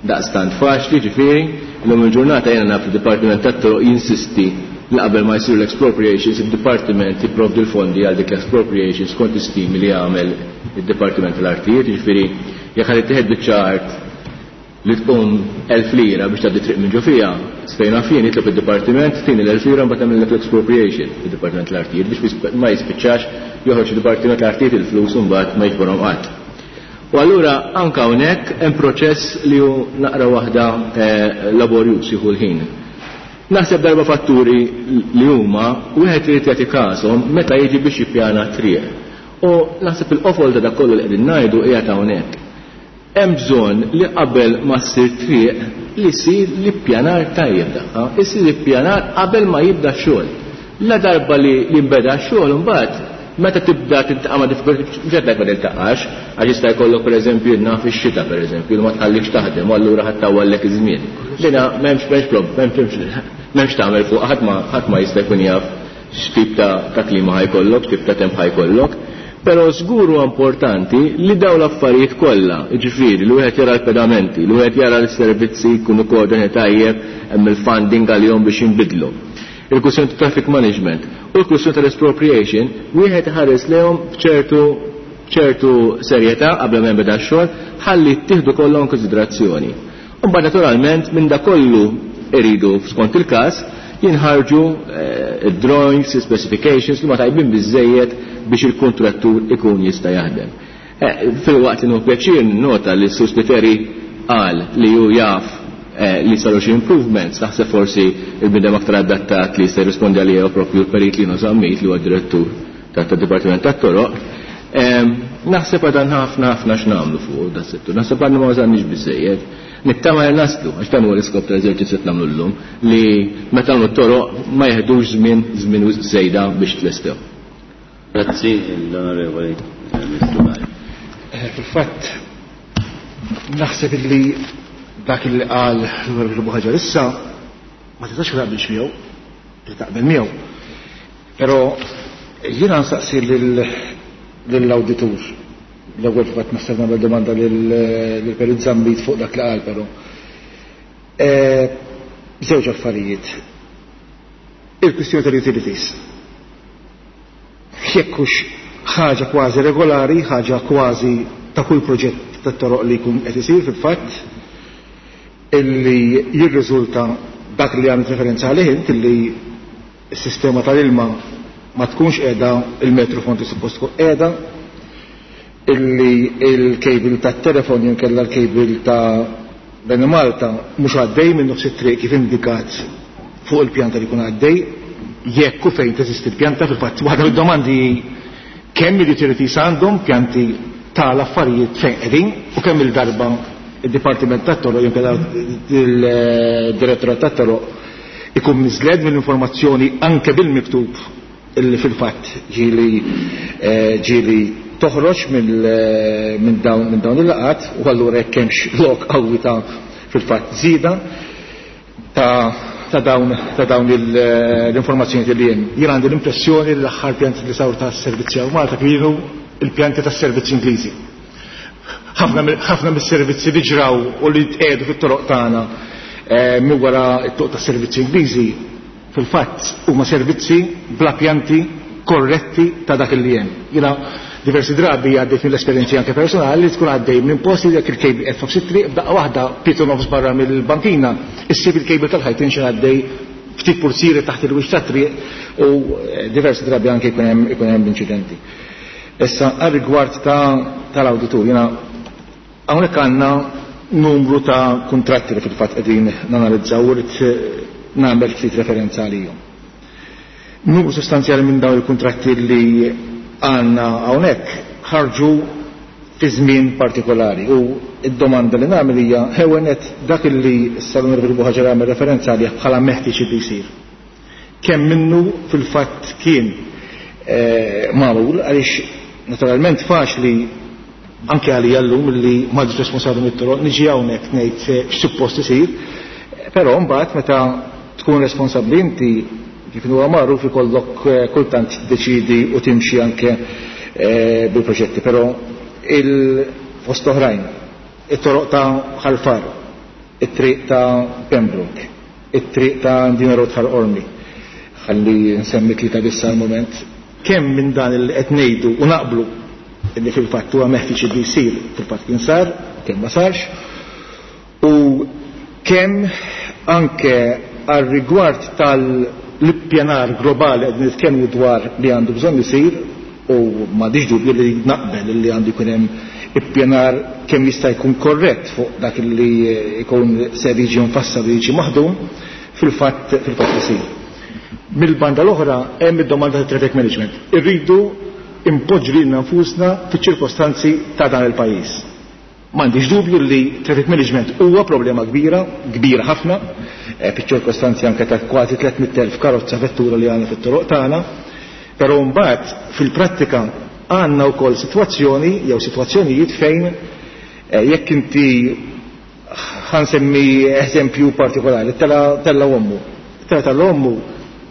daqstant faċli, ġifieri, illum il-ġurnata jiena naf id-Dipartiment tat-Toroq jinsisti li qabel ma jsiru l-expropriations id-Dipartiment jipprovdi l-fondi għal dik l-expropriations skont istimi li jagħmel id-Dipartiment tal-Artijiet, ġifieri jekk ħadd ittieħed biċċa art li tqum elf lira biex tgħaddi triq minn ġo fiha, sfejna fien jitlob id-dipartiment tini l-elf lira mbagħad tagħmel l-expropriation id-Dipartiment tal-Artijiet biex ma jispiċċax joħroġ id-Dipartiment tal-Artijiet il-flus u mbagħad ma jiġborhom qatt. U allura anke hawnhekk hemm proċess li hu naqra waħda laborjuż jieħu l-ħin. Naħseb darba fatturi li huma wieħed irid jagħti każhom meta jiġi biex jippjana triq. U naħseb il-qofol ta' dak kollu li qegħdin ngħidu qiegħed hawnhekk. Hemm bżonn li qabel ma ssir triq li jsir l-ippjanar tajjeb tagħha, isir l-ippjanar qabel ma jibda x-xogħol. La darba li jinbeda x-xogħol imbagħad Meta tibda tiltaqa' ma' diffikultajiet, mhux qed ngħid ma tiltaqax, għax jista' jkollok pereżempju naf ix-xita pereżempju li ma tħallikx taħdem u allura ħadd tawwallek iż-żmien. Dina m'hemmx m'hemmx m'hemmx tagħmel fuq ħadd ma ħadd ma jista' jkun jaf x'tip ta', ta' klima ħajkollok, x'tip ta' temp ħajkollok. Però żgur huwa importanti li dawn l-affarijiet kollha, jiġifieri li wieħed jara l-pedamenti, li wieħed jara l-servizzi jkunu koordinati tajjeb, hemm il-funding għalihom biex jinbidlu. Il-kwistjoni ta' traffic management u l-kwistjoni tal-expropriation, wieħed iħares lehom b'ċertu ċertu serjetà qabel ma jinbeda x-xogħol ħalli ttieħdu kollha in konsiderazzjoni. U mbagħad naturalment minn da kollu iridu skont il-każ jinħarġu id-drawings, specifications li ma tajbin biżejjed biex il-kontrattur ikun jista' jaħdem. Filwaqt li nieħu pjaċir nota li s-Sur Spiteri qal li hu jaf li saru xi improvements, naħseb forsi il-bniedem aktar adattat li jista' jirrispondi għalija propju l-Perit Lino Zammit li huwa direttur tad-Dipartiment tat-Toroq. Naħseb għadha ħafna ħafna x'nagħmlu fuq da settur, naħseb għadna ma wasalniex biżejjed. Nittama li naslu, għax dan huwa l-iskop tal-eżerċizzju qed nagħmlu llum, li meta nagħmlu t-toroq ma jeħdux żmien żmien żejda biex tlestew. Grazzi l-Onorevoli Ministru Galea. Fil-fatt naħseb illi dak li qal l-Onorevoli Buhaġar issa ma tistax ma taqbilx miegħu, taqbel miegħu. Però jiena nsaqsi lill-awditur. L-ewwel fatt naħseb nagħmel domanda lill-Perit Zammit fuq dak li qal però. Żewġ affarijiet. Il-kwistjoni tal-utilities. Jekk hux ħaġa kważi regolari, ħaġa kważi ta' kull proġett tat-toroq li jkun qed isir fil-fatt, illi jirriżulta dak li għamilt referenza għalih int, illi s-sistema tal-ilma ma tkunx qiegħda il-metru fond li suppost tkun qiegħda, illi il-kejbil tat-telefon jew inkella l-kejbil ta' Benemalta mhux għaddej minn nofs it-triq kif indikat fuq il-pjanta li jkun għaddej, jekk u fejn teżisti l-pjanta. Fil-fatt waħda mid-domandi kemm il-utilities għandhom pjanti tal-affarijiet fejn qegħdin u kemm il-darba id-Dipartiment tat-Toroq jew inkella il-Direttorat tat-Toroq ikun miżled mill-informazzjoni anke bil-miktub illi fil-fatt ġieli ġieli toħroġ minn dawn minn dawn il-laqat, u allura jekk hemmx lok qawwi ta' fil-fatt żieda ta' ta' dawn ta' dawn l-informazzjoni li hemm. Jien għandi l-impressjoni li l-aħħar pjanti li saru tas-servizzi hawn Malta kienu il-pjanti tas-servizzi Ingliżi. Ħafna mis-servizzi li ġraw u li tqiegħdu fit-toroq tagħna minn wara t-toq tas-servizzi Ingliżi fil-fatt huma servizzi bla pjanti korretti ta' dak li hemm. Jiena diversi drabi għaddejt mill-esperjenzi anke personali li tkun għaddej minn posti jekk il-kejbil qed f'nofs it-triq b'daqqa waħda pietu nofs barra mill-bankina, issib il-kejbil tal-ħajt inxi għaddej ftit pursieri taħt il-wiċċ tat-triq u diversi drabi anke jkun hemm ikun hemm inċidenti. Issa għar-rigward tal-awditur, jiena hawnhekk għandna numru ta' kuntratti li fil-fatt qegħdin nanalizzaw u rrid nagħmel ftit referenza għalihom. Numru sostanzjali minn dawn il-kuntratti li għandna hawnhekk ħarġu fi żmien partikolari u id-domanda li nagħmel hija ħewenet dak li s-Salon Buhaġar għamel referenza għalih bħala meħtieġ li jsir. Kemm minnu fil-fatt kien magħmul, għaliex naturalment faċli anke għalija llum li m'għadx responsabbli mit-toroq niġi hawnhekk ngħid x'suppost isir, però mbagħad meta tkun responsabbli inti kif huwa magħruf ikollok kultant tiddeċidi u timxi anke bil-proġetti, però il-fost oħrajn, it-toroq ta' Ħal Far, it-triq ta' Pembroke, it-triq ta' Mdina Road Ħal Qormi, ħalli nsemmi tlieta biss għal-moment, kemm minn dan li qed ngħidu u naqblu li fil-fatt huwa meħtieġ li jsir fil-fatt kien sar, kemm ma sarx, u kemm anke għar-rigward tal-ippjanar globali qed nitkellmu dwar li għandu bżonn isir, u m'għandix dubju li naqbel li għandu jkun hemm ippjanar kemm jista' jkun korrett fuq dak li jkun ser jiġi mfassal u jiġi maħdum, fil-fatt fil-fatt isir. Mill-banda l-oħra hemm id-domanda tat traffic management. Irridu impoġġu lilna nfusna fiċ-ċirkostanzi ta' dan il-pajjiż. M'għandix dubju li traffic management huwa problema kbira, kbira ħafna, fiċ-ċirkostanzi anke ta' kważi tliet mitt elf karozza vettura li għandna fit-toroq tagħna, Però mbagħad fil-prattika għandna wkoll sitwazzjoni jew sitwazzjonijiet fejn eh, jekk inti ħansemmi eżempju partikolari, tella ommu. Tella tal-ommu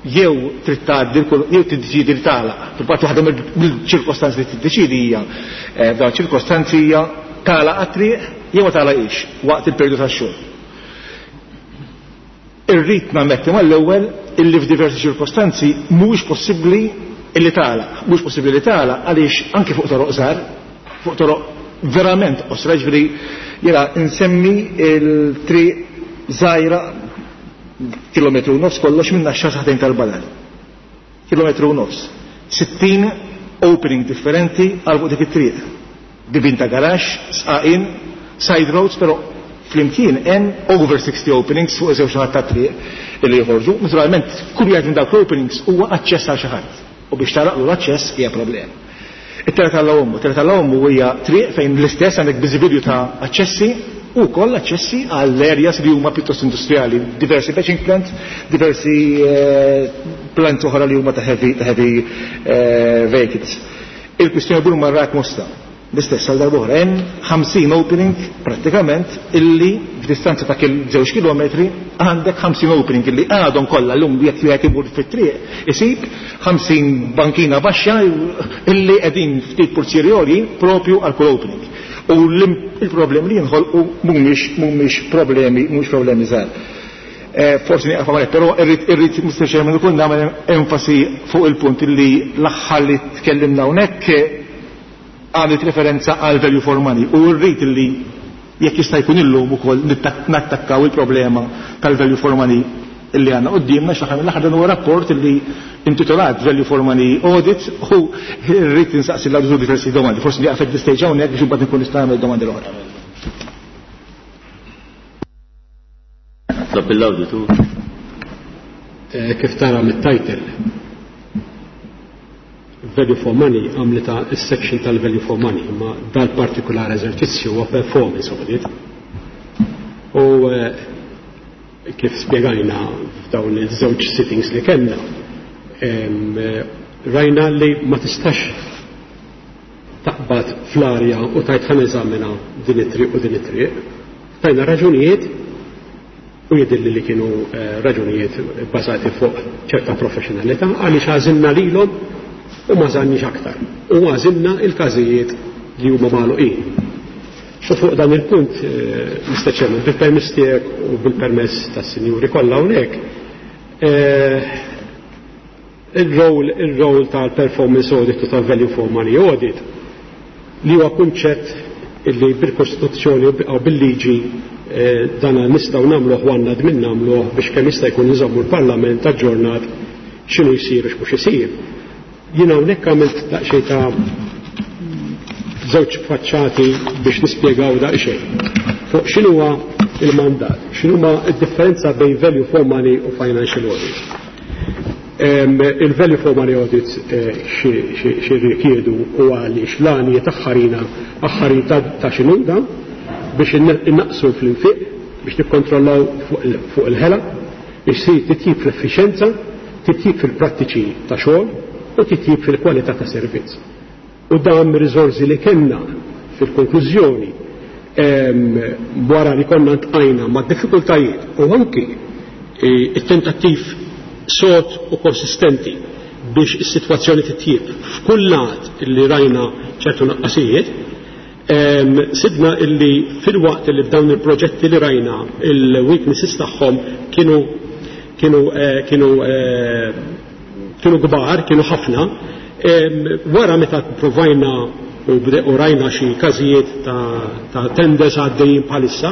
jew trid tgħaddi jew tiddeċiedi li tagħlaq. Fil-fatt waħda mill-ċirkostanzi li tiddeċiedi hija eh, f'dawn ċirkostanzi hija tagħlaq għat-triq jew ma tagħlaqix waqt il-perjodu tax-xogħol. Irrid nammetti mal-ewwel illi f'diversi ċirkostanzi mhuwiex possibbli illi tagħlaq, mhux possibbli li tagħlaq għaliex anke fuq toroq żgħar, fuq toroq verament qosra, ġifieri jiena nsemmi il-triq żgħira kilometru u nofs kollox minn Naxxar saħtejn tal-Badal. Kilometru u nofs. Sittin opening differenti għal fuq dik it-triq. Bibien ta' garaxx, sqaqin, side roads, però flimkien hemm over sixty openings fuq iż-żewġ naħat tat-triq illi joħorġu. Naturalment, kull wieħed minn dawk l-openings huwa aċċess għal xi ħadd. U biex taraqlu l-aċċess hija problema. It-Tella tal-Ommu, it-Tella tal-Ommu hija triq fejn l-istess għandek biżibilju ta' aċċessi u koll aċċessi għall areas li huma pjuttost industrijali, diversi batching plants, diversi eh, plants oħra li huma ta' heavy, ta' heavy eh, vehicles. Il-kwistjoni bur marrak Mosta. L-istess għal darb'oħra hemm ħamsin opening prattikament illi f'distanza ta' żewġ kilometri għandek ħamsin opening illi għadhom kollha llum jekk wieħed imur fit-triq isib ħamsin bankina baxxa illi qegħdin ftit purzieri għoljin propju għal kull opening. U il-problemi li jinħolqu mhumiex mhumiex problemi mhumiex problemi żgħar. Eh, forsi nieqaf hawnhekk, però irrid irrid Mister Chairman ukoll nagħmel enfasi fuq il-punt illi l-aħħar li tkellimna hawnhekk għamlet referenza għal value for money u rrid illi jekk jista' jkun illum ukoll nattakkaw il-problema tal-value for money illi għandna quddiemna x'aħna mill-aħħar dan huwa rapport illi intitolat Value for Money Audit u rrid insaqsi l-awditur diversi domandi. Forsi nieqaf at stage hawnhekk biex imbagħad nkun nista' nagħmel domandi l-oħra. Tlob l-awditur. Eh, kif tara mit-title Value for Money għamlita s-section tal-Value for Money, ma dal-partikular eżerċizzju huwa performance audit. U eh, kif spjegajna f'dawn iż-żewġ sittings li kellna, eh, rajna li ma tistax taqbad fl-arja u tajt ħa neżamina din it-triq u din it-triq. Tajna raġunijiet u jidilli li kienu eh, raġunijiet bbażati fuq ċerta professionalità għaliex għażilna lilhom u ma żannix aktar. U għażilna il-każijiet li huma magħluqin. U fuq dan il-punt, eh, Mister Chairman, bil-permess tiegħek u bil-permess tas-sinjuri kollha hawnhekk, eh, il-rol, il-rol tal-performance audit u tal-value for money audit li huwa kunċett illi bil-Kostituzzjoni u bil-liġi, eh, dana nistgħu nagħmluh u għandna dmin nagħmluh biex kemm jista' jkun nżommu l-Parlament aġġornat x'inhu jsir u x'mhux isir. Jien hawnhekk għamilt daqsxejn ta' żewġ faċċati biex nispjegaw daqsxejn fuq x'inhuwa il-mandat, x'inhuma d-differenza bejn value for money u financial audit. Il-value for money audits eh, xi rikjedu u għaliex l-għanijiet aħħarina aħħarin ta' x'inhu da biex innaqsu fl-infiq, biex nikkontrollaw fuq il-ħela, biex isir titjib fl-effiċenza, titjib fil-prattiċi ta' xogħol u titjib fil-kwalità ta' servizz. U dan riżorsi li kellna fil-konklużjoni wara li konna ntqajna ma' diffikultajiet u anki e, it-tentattiv sod u konsistenti biex is-sitwazzjoni titjib f'kull lat li rajna ċertu naqqasijiet, sibna illi fil-waqt li f'dawn il-proġetti li rajna il-weaknesses tagħhom kienu, kienu, eh, kienu, eh, kienu kbar, kienu ħafna. Wara meta provajna u rajna xi każijiet ta', ta' tenders għaddejjin bħalissa,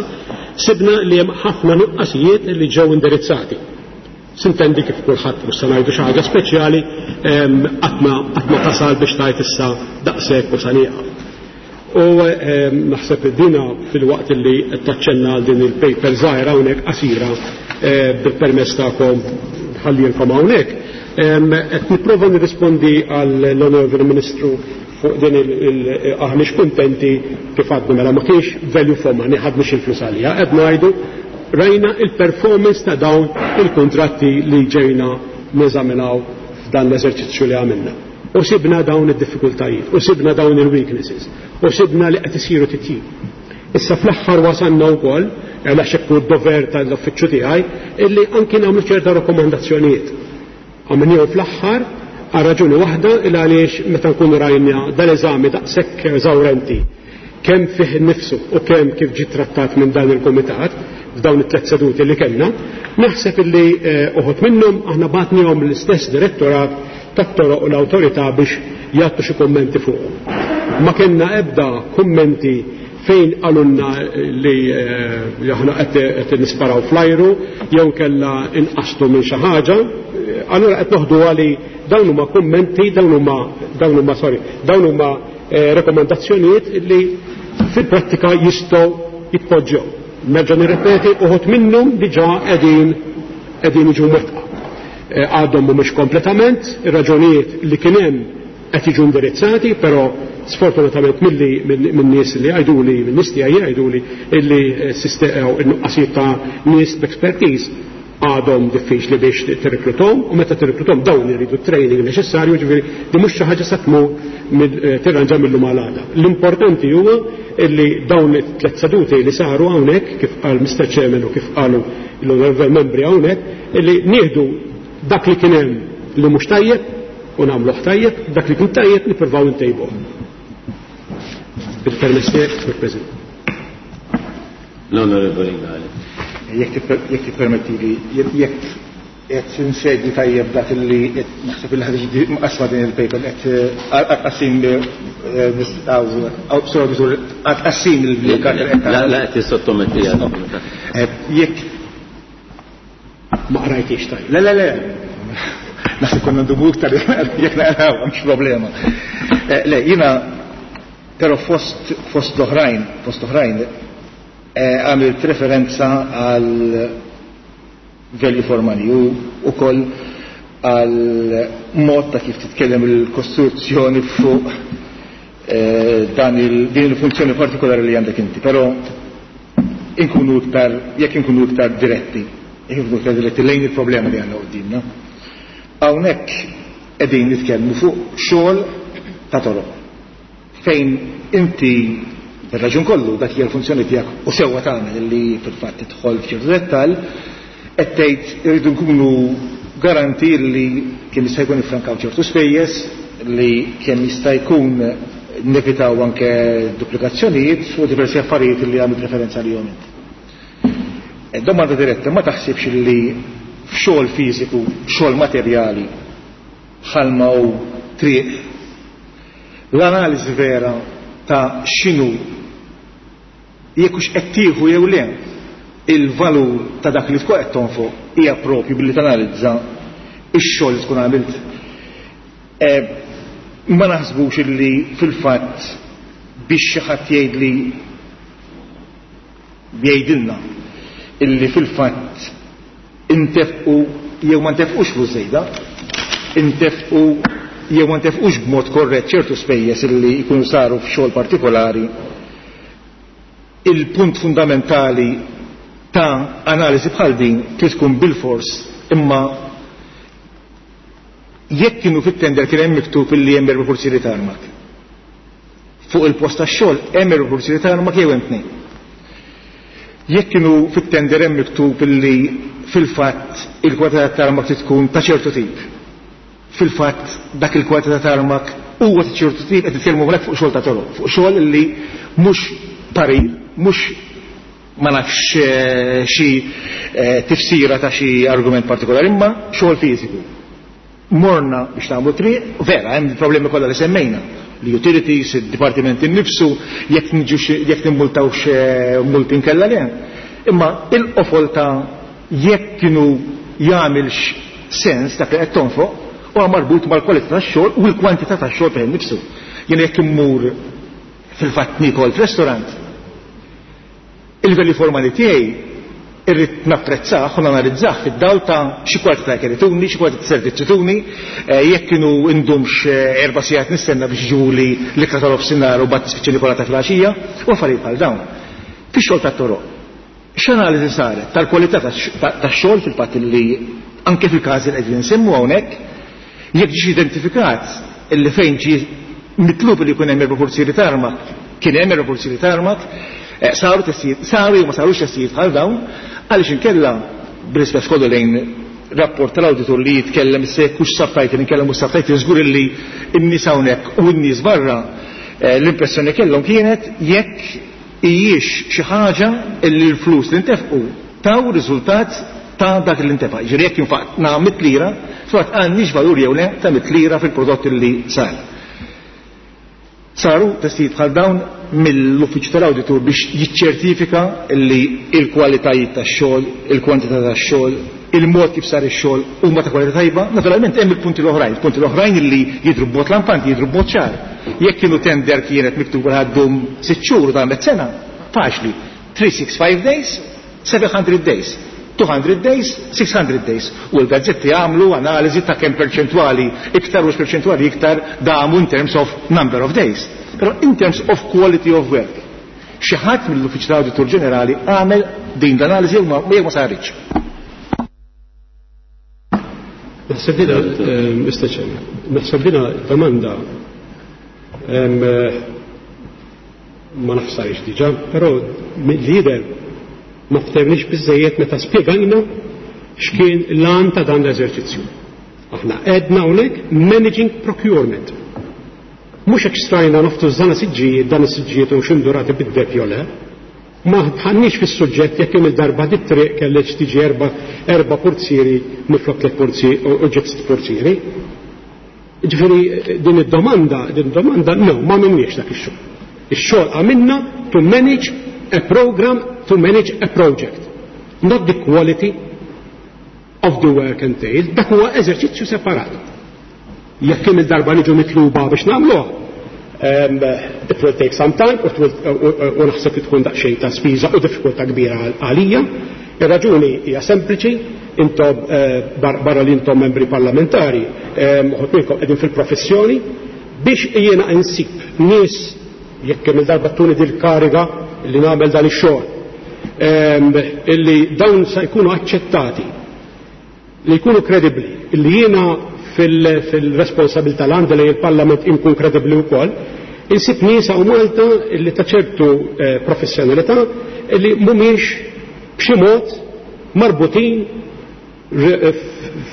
sibna li hemm ħafna nuqqasijiet li ġew indirizzati. Sintendi kif kulħadd mhux se ngħidu xi ħaġa speċjali, qatt ma tasal biex tgħid issa daqshekk u sa nieqaf. U naħseb dina fil-waqt li qed taċċenna għal din il-paper żgħira hawnhekk qasira, eh, bil-permess tagħkom ħallilkom hawnhekk. Qed nipprova nirrispondi għall-Onorevoli Ministru fuq din aħniex kuntenti kif għadna mela ma kienx value for money, ħadniex il-flus għalija, qed ngħidu rajna il-performance ta' dawn il-kontratti li ġejna neżaminaw dan l-eżerċizzju li għamilna. U sibna dawn id-diffikultajiet, u sibna dawn il-weaknesses, u sibna li qed isiru titjib. Issa fl-aħħar wasalna wkoll, għax hekk hu d-dover tal-uffiċċju tiegħi, illi anki nagħmlu ċerta rakkomandazzjonijiet. Għamilnihom fl-aħħar għal raġuni waħda, il għaliex meta nkunu rajna dal-eżami daqshekk eżawrenti kemm fih innifsu u kemm kif ġie trattat minn dan il-kumitat f'dawn it-tliet seduti li kellna, naħseb illi uħud minnhom aħna bagħtnihom l-istess direttorat tat-toroq u l-awtorità biex jagħtu xi kummenti fuqhom. Ma kellna ebda kummenti fejn qalulna li aħna qed nisparaw fl-ajru jew kellha inqastu minn xi ħaġa, allura qed noħdu għali dawn huma kummenti, dawn huma, dawn huma, sorry, dawn huma rekomendazzjonijiet li fil-prattika jistgħu jitpoġġew. Nerġa' nirrepeti, uħud minnhom diġà qegħdin qegħdin jiġu mwettqa. Għadhom mhumiex kompletament, ir-raġunijiet li kien hemm qed jiġu indirizzati, però sfortunatament milli minn nies li jgħiduli, minn nies tiegħi jgħiduli illi n-nuqqasijiet ta' nies b'expertise għadhom diffiċli biex tirrekluthom, u meta tirrekluthom dawn iridu training neċessarju, ġifieri di mhux xi ħaġa se tmur tirranġa mill-lum għal għada. L-importanti huwa illi dawn it-tliet seduti li saru hawnhekk, kif qal Mister Chairman u kif qalu l-onorevoli membri hawnhekk, illi nieħdu dak li kien hemm li mhux tajjeb u nagħmluh tajjeb, dak li kien tajjeb nippruvaw intejbuh. Bil-permess tiegħek, Sur President. L-Onorevoli Galea. Jekk tippermetti li, jekk qed insegwi tajjeb dak li qed naħseb li ħadd jiġi mqasma din il-paper qed għatqassim għatqassim il-karta qed La, la qed tissottometti għal. Jekk ma qrajtix tajjeb. Le, le, le. Naħseb konna ndumu iktar jekk naqraw, mhux problema. Le, jiena però fost fost l-oħrajn, fost l-oħrajn għamilt referenza għal value for money u ukoll għal mod ta' kif titkellem il-kostruzzjoni fuq dan il, din il-funzjoni partikolari li għandek inti, però inkunu iktar, jekk inkunu iktar diretti, jekk inkunu iktar diretti lejn il-problema li għandna quddiemna. Hawnhekk qegħdin nitkellmu fuq xogħol ta' toroq fejn inti bir-raġun kollu dak hija l-funzjoni tiegħek u sewwa tagħmel li fil-fatt tidħol f'ċertu dettall, qed tgħid irridu nkunu garanti li kemm jista' jkun iffrankaw ċertu spejjeż, li kemm jista' jkun nevitaw anke duplikazzjonijiet u diversi affarijiet li għamilt referenza lihom inti. Domanda diretta, ma taħsibx li f'xogħol fiżiku, xogħol materjali, bħalma hu triq, l-analiżi vera ta' x'inhu jekk hux qed tieħu jew le il-valur ta' dak li tkun qed tonfoq hija propju billi tanalizza x-xogħol li tkun għamilt. Ma naħsbux illi fil-fatt biex xi ħadd jgħidli jgħidilna illi fil-fatt intefqu jew ma ntefqux flus żejda, intefqu jew ma ntefqux b'mod korrett ċertu spejjeż illi jkunu saru f'xogħol partikolari, il-punt fundamentali ta' analiżi bħal din trid tkun bil-fors, imma jekk kienu fit-tender kien hemm miktub illi hemm erba' pursieri ta' armak. Fuq il-post tax-xogħol hemm erba' pursieri ta' armak jew hemm tnejn. Jekk kienu fit-tender hemm miktub illi fil-fatt il-kwalità ta' armak trid tkun ta' ċertu tip. Fil-fatt dak il-kwalità ta' armak huwa ta' ċertu tip, qed nitkellmu hawnhekk fuq xogħol ta' toroq, fuq xogħol illi mhux parir, mhux ma nafx xi tifsira ta' xi argument partikolari, imma xogħol fiżiku. Morna biex nagħmlu triq, vera, hemm problemi kollha li semmejna, li utilities, id-dipartiment innifsu, jekk niġux, jekk nimmultawx multi nkella le. Imma il-qofol ta' jekk kienu jagħmilx sens dak li qed tonfoq huwa marbut mal-kwalità tax-xogħol u l-kwantità tax-xogħol fejn innifsu. Jien jekk immur fil-fatt nikol f'restaurant, il-value for money tiegħi irrid napprezzah u nanalizzah fid-dawl ta' xi kwalità ta' ikel ituni, xi kwalità ta' servizz ituni, jekk kienu indumx erba' sigħat nistenna biex jiġuli l-ikla tal-ofsinhar u mbagħad nispiċċa nikola ta' filgħaxija u affarijiet bħal dawn. Fix-xogħol tat-toroq, x'analiżi saret tal-kwalità tax-xogħol fil-fatt li anke fil-każi li qegħdin insemmu hawnhekk, Jekk ġiex identifikat illi fejn ġie mitlub li jkun hemm erba' purzieri tarmak, kien hemm erba' purzieri tarmak, saru testijiet, saru jew ma sarux testijiet bħal dawn, għaliex inkella bl-ispess kollu lejn rapport tal-awditur li jitkellem se hux subtitle inkellem mhux subtitle, żgur illi n-nies hawnhekk u n-nies barra l-impressjoni kellhom kienet jekk hijiex xi ħaġa illi l-flus li ntefqu taw riżultat ta' dak li ntefa'. Ġifieri jekk infaqna mitt lira, fil-fatt għandniex valur jew le ta' mitt lira fil-prodott li sar. Saru testijiet bħal dawn mill-uffiċċju tal-awditur biex jiċċertifika li l-kwalitajiet tax-xogħol, il-kwantità tax-xogħol, il-mod kif sar ix-xogħol huma ta' kwalità tajba. Naturalment hemm il-punti l-oħrajn, il-punti l-oħrajn li jidhru b'mod lampanti, jidhru b'mod ċar. Jekk kienu tender kienet miktuba ħaddum sitt xhur u damet sena, faċli. three six five days, seven hundred days, two hundred days, six hundred days. U l-gazzetti għamlu analiżi ta' kemm perċentwali iktar u perċentwali iktar damu in terms of number of days. Però in terms of quality of work. Xi ħadd mill-Uffiċċju tal-Awditur Ġenerali għamel din l-analiżi jew ma, jew ma saritx. Naħseb dina, Mister Chairman, naħseb dina domanda ma nafsarix diġà, però mill-lider ma ftehmniex biżejjed meta spjegajna x'kien l-għan ta' dan l-eżerċizzju. Aħna għedna hawnhekk managing procurement. Mhux hekk strajna noftu żana siġġijiet, dan is-siġġijiet u x'indurati bid-deb jew le. Ma tħannix fis-suġġett jekk hemm il-darba dit triq kellek tiġi erba', erba' purzieri minflok tliet purzieri u ġiet sitt purzieri. Ġifieri din id-domanda, din id-domanda no, ma minniex dak ix-xogħol. Ix-xogħol għamilna to manage a program, to manage a project, not the quality of the work entailed. Dak huwa eżerċizzju separat. Jekk hemm il-darba niġu mitluba biex nagħmluha, um, it will take some time, u, u, u naħseb li tkun daqsxejn ta' spiża u diffikultà kbira għalija. Ir-raġuni hija sempliċi, intom, eh, bar-, barra li intom membri parlamentari, ehm, uħud minnkom qegħdin fil-professjoni, biex jiena insib nies jekk hemm il-darba tuni dil-kariga li nagħmel dan ix-xogħol, ehm, illi dawn se jkunu aċċettati, li jkunu kredibbli, illi jiena fil-, fil-responsabilità l-għandi li il-Parlament inkun kredibbli wkoll, insib nies hawn Malta illi ta' ċertu, eh, professjonalità illi mhumiex b'xi mod marbutin re-,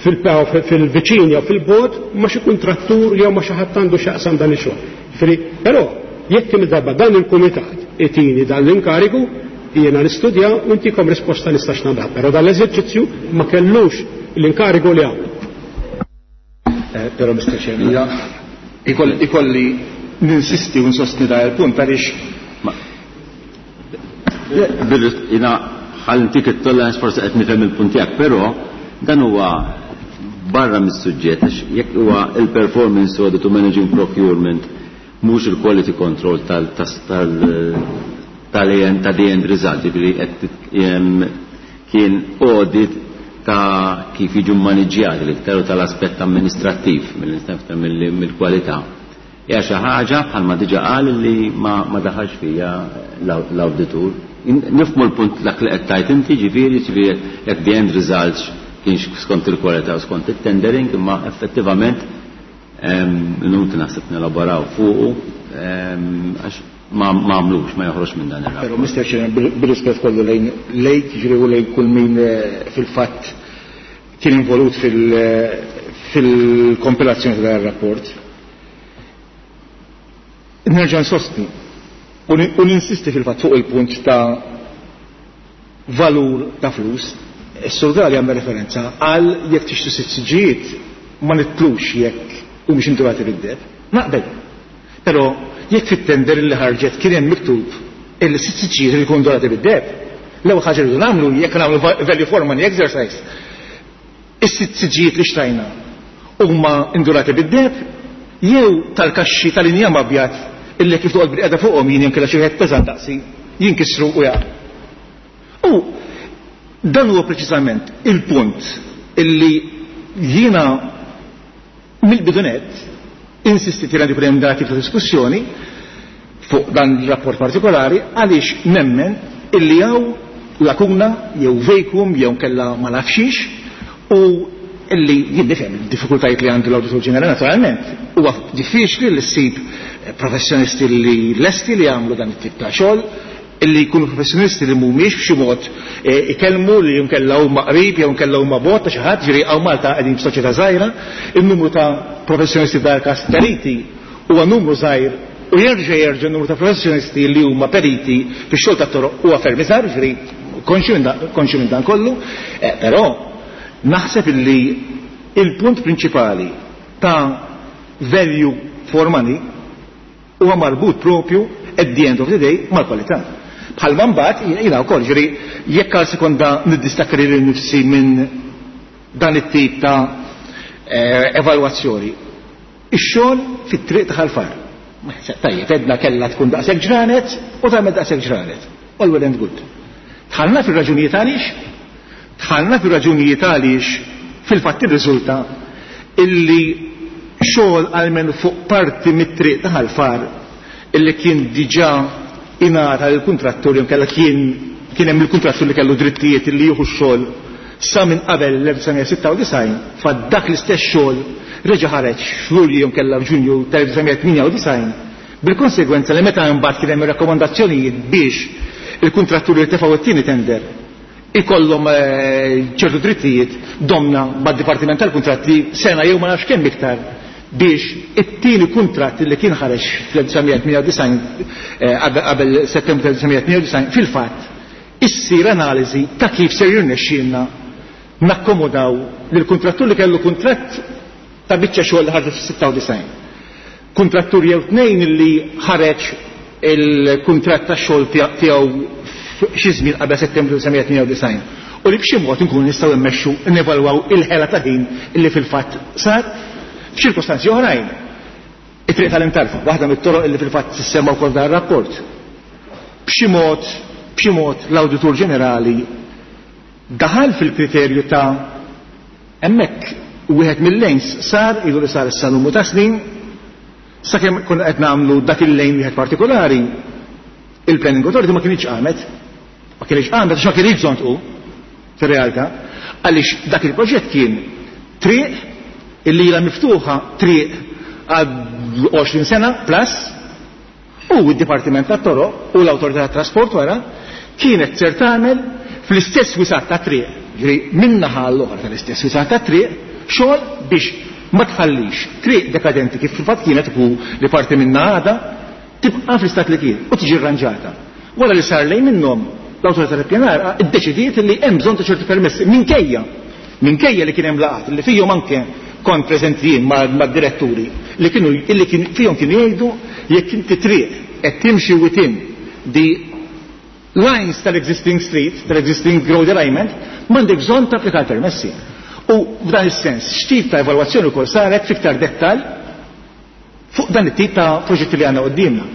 fil-, fil-viċin jew fil-bogħod ma' xi kuntrattur jew ma' xi ħadd għandu x'jaqsam dan ix-xogħol. Ġifieri, però jekk kemm darba dan il-kumitat itini dan l-inkarigu, jiena nistudja u ntikom risposta nistax nagħmel, però dan l-eżerċizzju ma kellux l-inkarigu li għamlu. Eh, però Mister Chairman, jina ikoll-, ikolli ninsisti u nsostni da il-punt għaliex Ma- Bil-, jina ħallintik it-tolerance forsi qed nifhem il-punt tiegħek, però dan huwa barra mis-suġġett għax jekk huwa il-performance audit u managing procurement mhux il-quality control tal-, tal-, tal-, ta' the end result, ġifieri qed tit-, jem, kien audit ta' kif jiġu maniġjati l-iktar u tal-aspett amministrattiv mill-istat mill-, mill-kwalità. Hija xi ħaġa bħalma diġà qal li ma, ma daħalx fija l-aw-, l-awditur. In-, nifhmu l-punt dak li qed tgħid inti, ġifieri, ġifieri jekk the end results kienx skont il-kwalità u skont it-tendering, imma effettivament, ehm, inutli naħseb nelaboraw fuqu, ehm, għax ma, ma għamlux, ma joħroġ minn dan ir-rapport. Però Mister Chairman, bil-, bil-rispett kollu lejn lejk, ġifieri u lejn kull min, eh, fil-fatt kien involut fil-, fil-kompilazzjoni ta' dan ir-rapport. Nerġa' nsostni u ni-, u ninsisti fil-fatt fuq il-punt ta' valur ta' flus. Is-Sur Galea għamel referenza għal jekk tixtri sitt siġġijiet ma nitlux jekk u mhux indurati bid-deb. Naqbel. Però jekk fit-tender li ħarġet kien hemm miktub illi sitt siġġijiet li jkunu ndurati bid-deb, l-ewwel ħaġa li nagħmlu jekk nagħmlu va-, value for money exercise, is-sitt siġġijiet li xtrajna huma indurati bid-deb jew tal-kaxxi tal-injam abjad illi kif toqgħod bil-qiegħda fuqhom jien inkella xi wieħed peżant daqsi jinkisru u jaqa'. U dan huwa preċiżament il-punt illi jiena mill-bidunet insistit li għandi hemm dati ta' diskussjoni fuq dan il-rapport partikolari għaliex nemmen illi hawn lakuna jew vacuum jew kella ma nafxix u illi jien nifhem il-diffikultajiet li għandu l-Awditur Ġenerali naturalment. Huwa diffiċli li ssib professjonisti li lesti li jagħmlu dan it-tip ta' xogħol, illi jkunu professjonisti li mhumiex b'xi mod ikellmu li nkella huma qrib jew nkella huma bot ta' xi ħadd, ġifieri hawn Malta qegħdin f'soċjetà żgħira, in-numru ta' professjonisti f'dan il-każ periti huwa numru żgħir u jerġa' jerġa' n-numru ta' professjonisti li huma periti fix-xogħol tat-toroq huwa ferm iżgħar, ġifieri konxju minn dan kollu, però naħseb illi il-punt prinċipali ta' value for money huwa marbut propju at the end of the day mal-kwalità. Bħalma mbagħad jiena wkoll, ġifieri jekk għal sekonda niddistakka lili nnifsi minn dan it-tip ta' evalwazzjoni. Ix-xogħol fit-triq ta' Ħal Far. Tajjeb, edna kellha tkun daqshekk ġranet u tagħmel daqshekk ġranet. All well and good. Dħalna fir-raġunijiet għaliex? Dħalna fir-raġunijiet għaliex fil-fatt irriżulta illi xogħol għalmen fuq parti mit-triq ta' Ħal Far illi kien diġà ingħata lill-kuntrattur jew kellha kien kien hemm il-kuntrattur li kellu drittijiet illi jieħu x-xogħol sa minn qabel l-elf disa' sitta u disgħin, fa dak l-istess xogħol reġa' ħareġ f'Lulju jew kellha f'Ġunju tal-elf disa' tmienja u disgħin, bil-konsegwenza li meta imbagħad kien hemm ir-rakkomandazzjonijiet biex il-kuntratturi li tefgħu t-tieni tender ikollhom ċertu drittijiet, domna mad-Dipartiment tal-Kuntratti sena jew ma nafx kemm iktar biex it-tieni kuntratt li kien ħareġ fl-elf disa' tmienja u disgħin qabel Settembru tal-elf disa' tmienja u disgħin fil-fatt issir analiżi ta' kif ser jirnexxielna nakkomodaw lil kuntrattur li kellu kuntratt ta' biċċa xogħol li ħarġet fis-sitta u disgħin. Kuntrattur jew tnejn li ħareġ il-kuntratt ta' xogħol tiegħu xi żmien qabel Settembru disa' tmienja u disgħin. U li b'xi mod inkunu nistgħu mmexxu nevalwaw il-ħela ta' ħin illi fil-fatt sar f'ċirkostanzi oħrajn. It-triq tal-Imtarfa, waħda mit-toroq illi fil-fatt tissemma wkoll dan ir-rapport. B'xi mod, b'xi mod l-Awditur Ġenerali daħal fil-kriterju ta' hemmhekk wieħed mill-lanes sar ilu li sar issa numru ta' snin, sakemm konna qed nagħmlu dak il-lane wieħed partikolari, il-Planning Authority ma kienx qamet. Ma kienx qamet għax ma kienx bżonn tqum fir-realtà, għaliex dak il-proġett kien triq illi ilha miftuħa triq għal għoxrin sena plus, u d-Dipartiment tat-Toroq u l-Awtorità tat-Trasport wara kienet ser tagħmel fl-istess wisat ta' triq, ġifieri min-naħa l-oħra tal-istess wisat ta' triq, xogħol biex ma tħallix triq dekadenti kif fil-fatt kienet u li parti minna għada tibqa' fl-istat li kien u tiġi rranġata. Wara li sar lejn minnhom l-Awtorità tal-Ippjanar iddeċidiet li hemm bżonn ta' ċerti permessi minkejja, minkejja li kien hemm laqgħat li fihom anke kont preżenti jien mad-diretturi li kienu illi kien fihom kienu jgħidu jekk inti triq qed timxi within the lines tal-existing street, tal-existing road alignment, m'għandek bżonn tapplika permessi. U f'dan is-sens, x'tip ta' evalwazzjoni wkoll saret fiktar dettall fuq dan it-tip ta' proġetti li għandna quddiemna.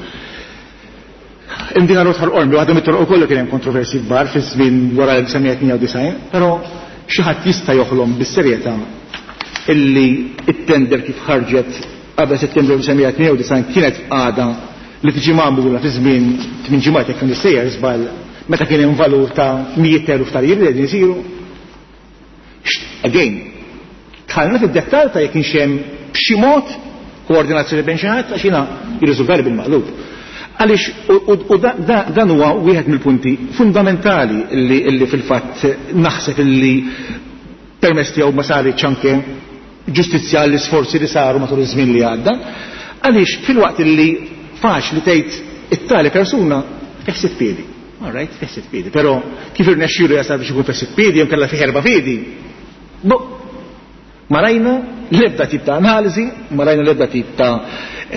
Imdina Road Ħal Qormi, waħda mit-toroq ukoll kien hemm kontroversi kbar fi żmien wara l-elf disa' tmienja u disgħin, però xi ħadd jista' joħlom bis-serjetà illi it-tender kif ħarġet qabel Settembru elf disa' tmienja u disgħin kienet għada li tiġi magħmula fi żmien tmien ġimgħat jekk nissejjer żball meta kien hemm valur ta' mijiet eluf ta' liri li qegħdin isiru. Again, dħalna fid-dettall ta' jekk kienx hemm b'xi mod koordinazzjoni bejn xi ħadd għax jiena jirriżultali bil-maqlub. Għaliex u, u da, da, dan huwa wieħed mill-punti fundamentali illi, illi fil-fatt naħseb illi permess tiegħu ma saritx anke ġustizzja għall-isforzi li saru matul iż-żmien li għadda, għaliex fil-waqt illi faċli tgħid it-tali persuna fih sitt piedi. All right, fih sitt piedi, però kif irnexxielu jasal biex ikun fih sitt piedi jew kellha fih erba' piedi. Bo, ma rajna l-ebda tip ta' analiżi, ma rajna l-ebda tip ta'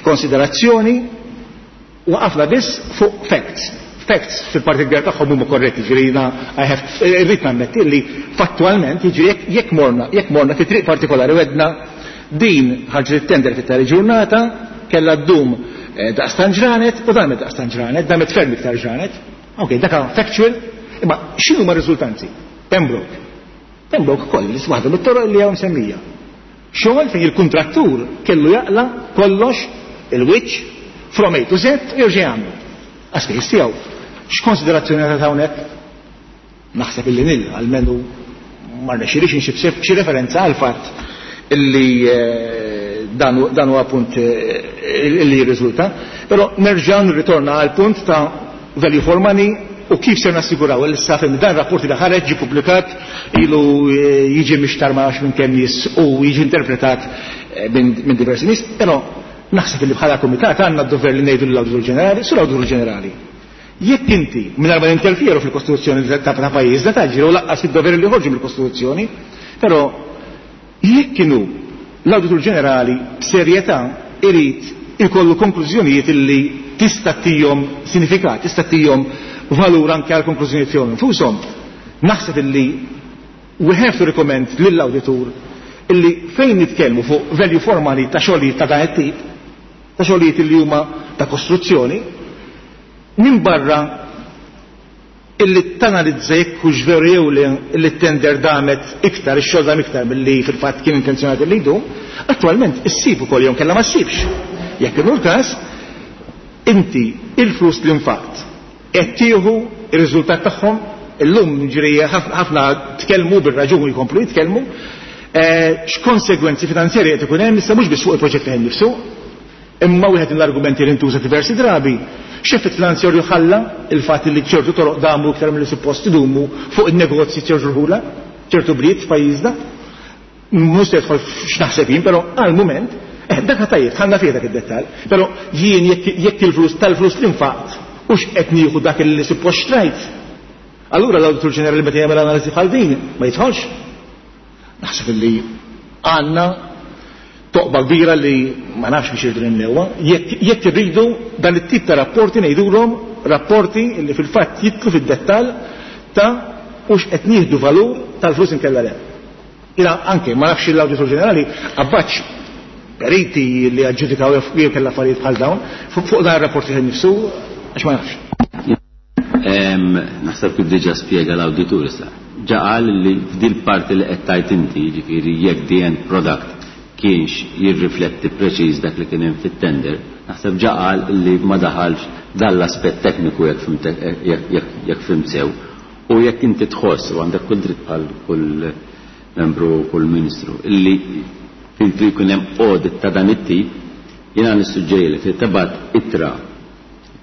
konsiderazzjoni, waqafna biss fuq facts. Facts fil-parti kbira tagħhom huma korretti, ġifieri jiena I have irrid nammetti li fattualment jiġri jekk, jekk morna, jekk morna fi triq partikolari u għedna din ħarġet it-tender fit-tali ġurnata, kellha ddum, eh, daqstan ġranet u damet daqstan ġranet, damet ferm iktar ġranet. Ok, dak factual, imma x'inhu ma riżultanzi? Pembroke. Pembroke ukoll, li waħda mit-toroq li hawn semmija. Xogħol fejn il-kuntrattur kellu jaqla kollox il-wiċċ from A to Z u jerġa' jagħmlu. Għaspejjeż tiegħu. X'konsiderazzjoni ta' hawnhekk? Naħseb illi nil, almenu ma rnexxilix insib xi referenza għal fatt illi dan huwa punt illi jirriżulta, però nerġa' nirritorna għal punt ta' value for money u kif ser nassiguraw li issa fim dan rapport li ħareġ ġie pubblikat ilu jiġi mixtar ma nafx minn kemm nies u jiġi interpretat minn diversi nies, però naħseb li bħala kumitat għandna d-dover li ngħidu lill-Awditur Ġenerali, sur Awditur Ġenerali. Jekk inti mingħajr ma ninterfjeru fil-Kostituzzjoni ta' pajjiżna taġġi u laqqas id-dover li joħorġu mill-Kostituzzjoni, però jekk kienu l-Awditur Ġenerali b'serjetà irid ikollu konklużjonijiet illi tista' tihom sinifikat, tista' tihom valur anke għal konklużjonijiet tiegħu infushom. Naħseb illi we have to recommend lill-awditur illi fejn nitkellmu fuq value for money ta' xogħlijiet ta' dan it-tip, ta' xogħlijiet illi huma ta' kostruzzjoni, minn barra illi tanalizza jekk hux veru jew li illi t-tender damet iktar, ix-xogħol dam iktar milli fil-fatt kien intenzjonat li jdum, attwalment issib ukoll jew kellha ma ssibx. Jekk inhu l-każ, inti il-flus li nfaqt qed tieħu ir-riżultat tagħhom illum ġri ħafna tkellmu bir-raġuni jkomplu jitkellmu x'konsegwenzi finanzjarji qed ikun hemm issa mhux biss fuq il-proġett li nifsu, imma wieħed mill-argumenti li ntuża diversi drabi, x'effett finanzjarju ħalla il-fatt li ċertu toroq damu iktar milli suppost idumu fuq in-negozji ċertu rħula, ċertu bliet f'pajjiżna. Mhux se jidħol x'naħseb jien, però għal-mument eh, dak tajjeb, ħanna fih dak id-dettall, però jien jekk il-flus tal-flus li nfaqt u x'qed nieħu dak li suppost xtrajt. Allura l-Awditur Ġenerali meta jagħmel analiżi bħal din ma jidħolx. Naħseb li għandna toqba kbira li ma nafx biex irridu nimlewha, jekk irridu dan it-tip ta' rapporti ngħidulhom rapporti li fil-fatt jidħlu fid-dettall ta' hux qed nieħdu valur tal-flus inkella le. Ila anke ma nafx l-Awditur Ġenerali abbaċ periti li aġġudikaw jew kellha affarijiet bħal dawn fuq dan ir-rapporti nifsu għax ma nafx. Naħseb kif diġà spjega l-awditur issa. Ġa qal li f'dil parti li qed tajt inti, jiġifieri jekk the end product kienx jirrifletti preċiż dak li kien hemm fit-tender, naħseb ġa qal li ma daħalx dan l-aspett tekniku jekk fhimt sew. U jekk inti tħoss u għandek kull dritt bħal kull membru u kull ministru illi inti jkun hemm audit ta' dan it-tip, jiena nissuġġeri li tibgħat ittra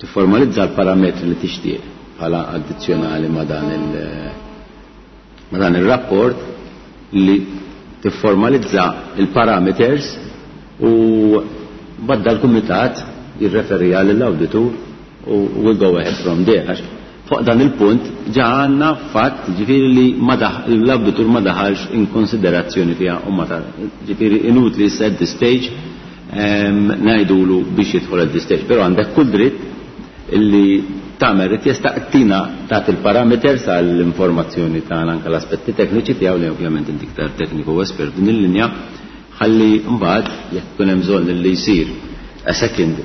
tifformalizza l-parametri li tixtieq bħala addizzjonali ma' dan il ma' dan ir-rapport li tifformalizza il-parameters u badda l-kumitat jirreferi lill-awditur u we'll go ahead from there. Għax fuq dan il-punt ġa għandna fatt ġifieri li l-awditur ma daħalx in konsiderazzjoni fiha u ma ġifieri inutli issa at this stage ngħidulu biex jidħol at this stage, però għandek kull dritt illi tagħmel rikjesta tina tagħti il-parameters għall-informazzjoni tagħna anke l-aspetti tekniċi tiegħu li ovvjament inti iktar tekniku u espert din il-linja, ħalli mbagħad jekk ikun hemm bżonn li jsir a second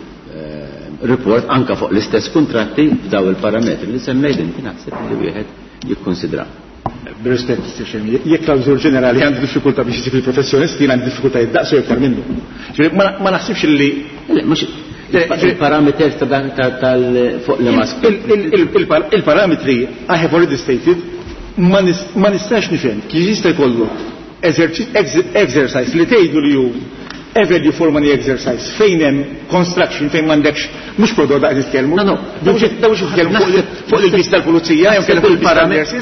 report anka fuq l-istess kuntratti f'daw il-parametri li semmejt inti naħseb li wieħed jikkonsidra. Bir-rispett, jekk l-Awditur Ġenerali għandu diffikultà biex isib il-professjonisti, jien għandi diffikultajiet daqsu iktar minnu. Ma naħsibx li mhux il-parameters ta' dan tal fuq li ma il-parametri I have already stated ma nistax nifhem kif jista' jkollu exercise li tgħidu li hu a value for money exercise fejn hemm construction fejn m'għandekx mhux prodott daqs nitkellmu. No, no, daw nitkellmu fuq il-vis tal-pulizija jew kellem fuq il-parametri.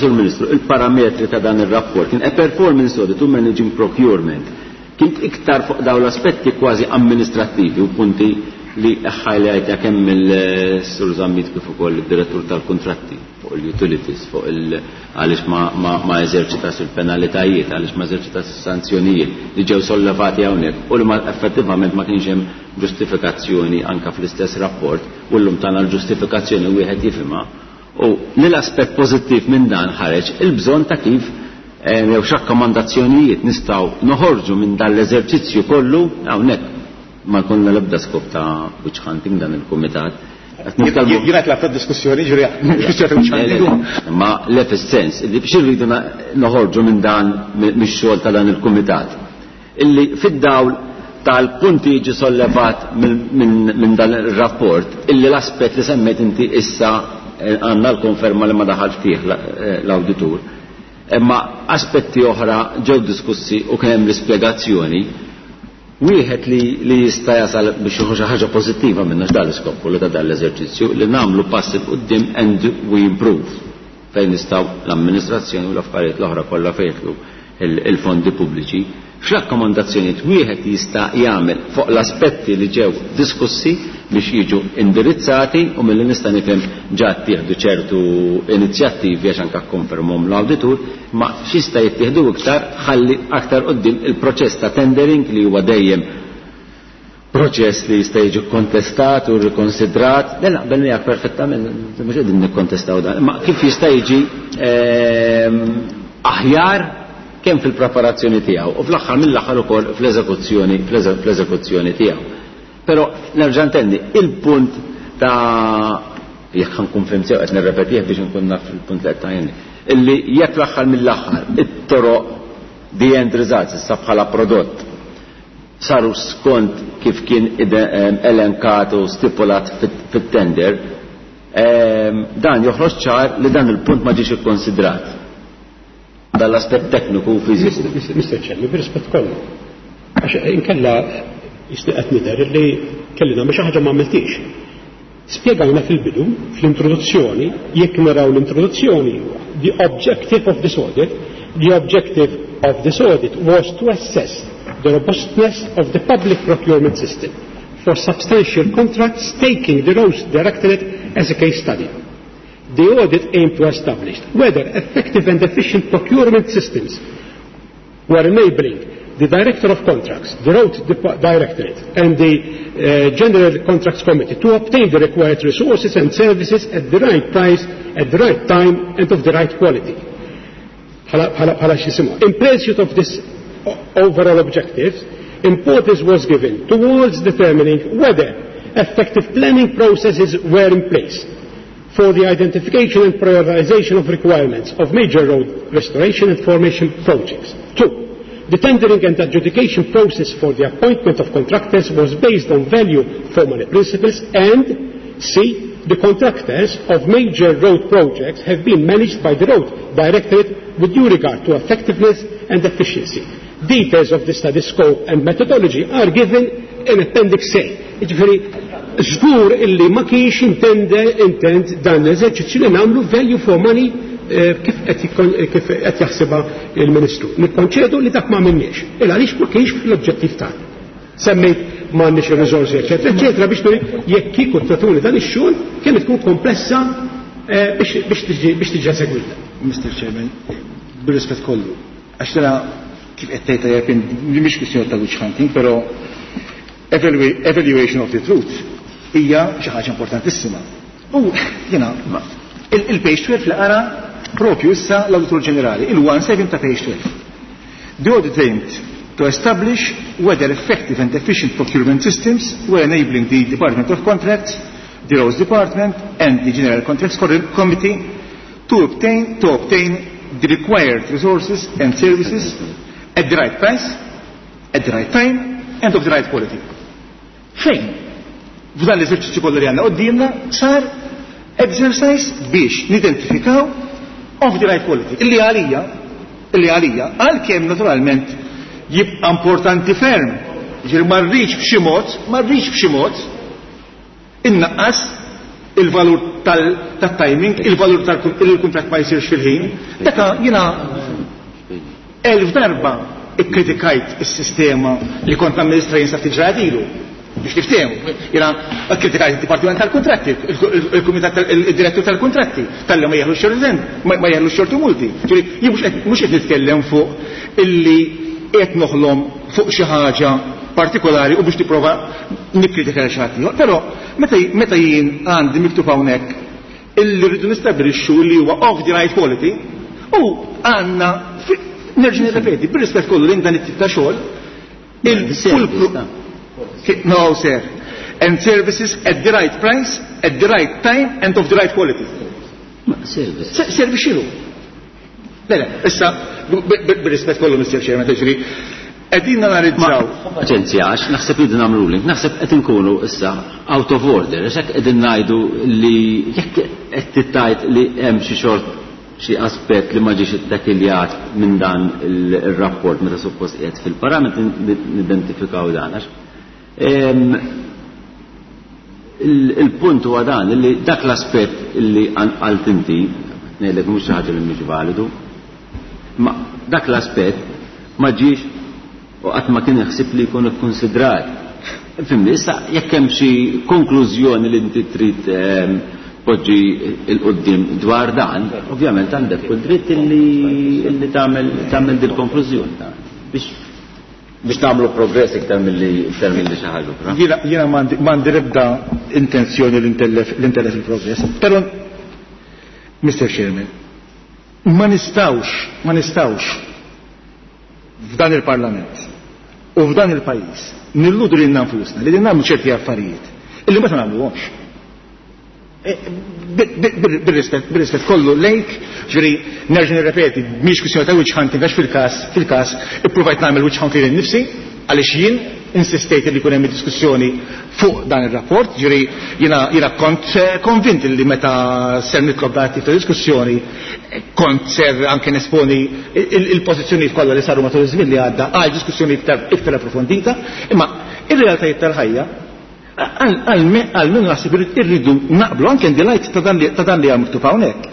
Sur Ministru, il-parametri ta' dan ir-rapport kien a performance audit to managing procurement. Kien iktar fuq daw l-aspetti kważi amministrattivi u punti li highlight kemm il-Sur Zammit kif ukoll id-direttur tal-kuntratti fuq il-utilities, fuq il għaliex ma, ma, ma eżerċitax il-penalitajiet, għaliex ma eżerċitax is-sanzjonijiet li ġew sollevati hawnhekk u li ma effettivament ma kienx hemm ġustifikazzjoni anke fl-istess rapport u llum tagħna l-ġustifikazzjoni wieħed jifhimha. U li l-aspett pożittiv minn dan ħareġ il-bżonn ta' kif jew x'rakkomandazzjonijiet nistgħu noħorġu minn dan l-eżerċizzju kollu hawnhekk ma konna l-ebda skop ta' witch hunting dan il-kumitat. Jiena tlaqt diskussjoni ġuri diskussjoni ta' witch hunting. Ma le fis-sens li biex irridu noħorġu minn dan mix-xogħol ta' dan il-kumitat. Illi fid-dawl tal-punti jiġi sollevat minn dan ir-rapport illi l-aspett li semmejt inti issa għandna l-konferma li ma daħal fih l-awditur. Imma aspetti oħra ġew diskussi u kien hemm l-ispjegazzjoni. Wieħed li, li jista' jasal biex jieħu xi ħaġa pożittiva minna x'dan l-iskop kollu ta' dan l-eżerċizzju li nagħmlu pass 'il quddiem and we improve fejn nistgħu l-amministrazzjoni u l-affarijiet l-oħra kollha fejn jidħlu il-fondi pubbliċi. X'rakkomandazzjonijiet wieħed jista' jagħmel fuq l-aspetti li ġew diskussi biex jiġu indirizzati u milli nista' nifhem ġa ttieħdu ċertu inizjattivi għax anke kkonfermhom l-awditur, ma x'jista' jittieħdu iktar ħalli aktar quddiem il-proċess ta' tendering li huwa dejjem proċess li jista' jiġi kontestat u rikonsidrat, le naqbel miegħek perfettament, mhux qegħdin nikkontestaw dan, imma kif jista' jiġi ehm, aħjar kemm fil-preparazzjoni tiegħu u fl-aħħar mill-aħħar ukoll fl-eżekuzzjoni fl-eżekuzzjoni tiegħu. Però nerġa' ntenni il-punt ta' jekk nkun fhimt sew qed nirrepetih biex nkun naf il-punt li qed tgħinni, illi jekk l-aħħar mill-aħħar it-toroq the end results issa bħala prodott saru skont kif kien elenkat u stipulat fit-tender, dan joħroġ ċar li dan il-punt ma ġiex ikkonsidrat. Dan l-aspett tekniku u fiżiku. Mister Chairman, bir-rispett kollu. Għax inkella jisni qed nidher li kelli nagħmel xi ħaġa ma għamiltix. Spjegajna fil-bidu, fl-introduzzjoni, jekk naraw l-introduzzjoni, the objective of this audit, the objective of this audit was to assess the robustness of the public procurement system for substantial contracts, taking the Roads Directorate as a case study. The audit aimed to establish whether effective and efficient procurement systems were enabling the Director of Contracts, the Road Dep- Directorate, and the uh, General Contracts Committee to obtain the required resources and services at the right price, at the right time, and of the right quality. Bħala x'jisimha. In pursuit of this overall objective, importance was given towards determining whether effective planning processes were in place for the identification and prioritization of requirements of major road restoration and formation projects. Two, the tendering and adjudication process for the appointment of contractors was based on value for money principles, and C, the contractors of major road projects have been managed by the Road Directorate with due regard to effectiveness and efficiency. Details of the study scope and methodology are given in Appendix A. Ġifieri, żgur illi ma kienx intende intent dan l-eżerċizzju li nagħmlu value for money eh, kif qed kif qed jaħsibha il-Ministru. Nikkonċedu li dak ma għamilniex. Il għaliex ma kienx fl-oġġettiv tagħna. Semmejt m'għandniex ir-riżorsi, eċetera, eċetera, biex nuri jekk kieku tatuni dan ix-xogħol kienet tkun komplessa eh, biex tiġi eżegwita. Mister Chairman, bir-rispett kollu, għax tara kif qed tgħid tajjeb mhix kwistjoni ta' witch hunting, però evaluation of the truth hija xi ħaġa importantissima. U jiena il-page twelve li qara propju issa l-Awditur Ġenerali, il-one seven ta' page twelve. The audit aimed to establish whether effective and efficient procurement systems were enabling the Department of Contracts, the Roads Department and the General Contracts Committee to obtain, to obtain the required resources and services at the right price, at the right time and of the right quality. Fejn? F'dan l-eżerċizzju kollu li għandna quddiemna sar exercise biex nidentifikaw of the right quality. Illi għalija, illi għalija, għalkemm naturalment jibqa' importanti ferm, ġifieri ma rridx b'xi mod, ma rridx b'xi mod innaqqas il-valur tat-timing, il-valur tal-kuntratt ma jsirx fil-ħin. Daka jiena elf darba ikkritikajt is-sistema li kont amministra jien sa ftit ġranet ilu. Biex niftehmu, jiena kkritikajt il-Dipartiment tal-Kuntratti, il-Kumitat il-Direttur tal-Kuntratti, talli ma jeħlu xorten, ma jeħlu xortu multi. Ġifieri jien mhux qed nitkellem fuq illi qed noħlom fuq xi ħaġa partikolari u biex tipprova nikkritika xi ħadd ieħor. Però meta jien għandi miktub hawnhekk illi rridu nistabbilixxu li huwa of the right quality u għandna nerġa' nirrepeti, bir-rispett kollu lejn dan it-tip ta' xogħol, il-fulkru No, sir. And services at the right price, at the right time, and of the right quality. Service. Service x'inhu? Le, le, issa, bir-rispett kollu, Mister Chairman, tiġri, qegħdin nanalizzaw. Paċenzja, għax naħseb li nagħmlu ruling, naħseb qed inkunu issa out of order, għax hekk qegħdin ngħidu li jekk qed tittajt li hemm xi xort xi aspett li ma ġiex ittakiljat minn dan il-rapport meta suppost qiegħed fil-parametri nidentifikaw dan għax il-punt huwa dan li dak l-aspett li qalt inti ngħidlek mhux xi ħaġa li mhix validu, ma dak l-aspett ma ġiex u qatt ma kien iħsib li jkun ikkonsidrat. Fimni, issa jekk hemm xi konklużjoni li inti trid poġġi il-qoddim dwar dan, ovvjament għandek kull dritt illi tagħmel tagħmel dil konklużjoni biex biex nagħmlu progress iktar milli iktar milli xi ħaġa oħra. Jiena jiena m'għandi l-ebda intenzjoni li ntellef li ntellef il-progress, però Mister Chairman, ma nistgħux ma nistgħux f'dan il-Parlament u f'dan il-pajjiż nilludu lilna nfusna li nagħmlu ċerti affarijiet illi ma nagħmluhomx. Bil-rispett bil-rispett kollu lejk, ġifieri nerġa' nirrepeti, mhix kwistjoni ta' witch hunting għax fil-każ fil-każ ippruvajt nagħmel witch hunting lil nifsi għaliex jien insistejt li jkun hemm diskussjoni fuq dan ir-rapport, ġifieri jiena jiena kont konvint li meta ser nitlob dan tip ta' diskussjoni kont ser anke nesponi il-pożizzjonijiet kollha li saru matul iż-żmien li għadda għal diskussjoni iktar iktar approfondita, imma ir-realtajiet tal-ħajja għalmenu naħseb irridu naqblu anke in the light ta' dan li ta' dan li hemm miktub hawnhekk.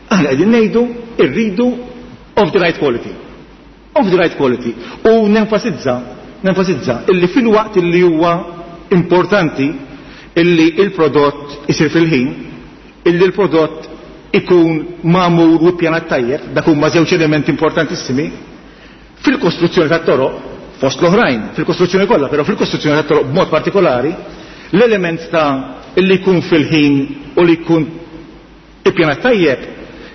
Aħna qegħdin ngħidu irridu of the right quality. Of the right quality. U nenfasizza, nenfasizza illi fil-waqt illi huwa importanti illi il-prodott isir fil-ħin, illi l-prodott ikun magħmur u ppjanat tajjeb, dak huma żewġ elementi importantissimi, fil-kostruzzjoni tat-toroq, fost l-oħrajn, fil-kostruzzjoni kollha, però fil-kostruzzjoni tat-toroq b'mod partikolari, l-element ta' illi jkun fil-ħin u li jkun ippjanat tajjeb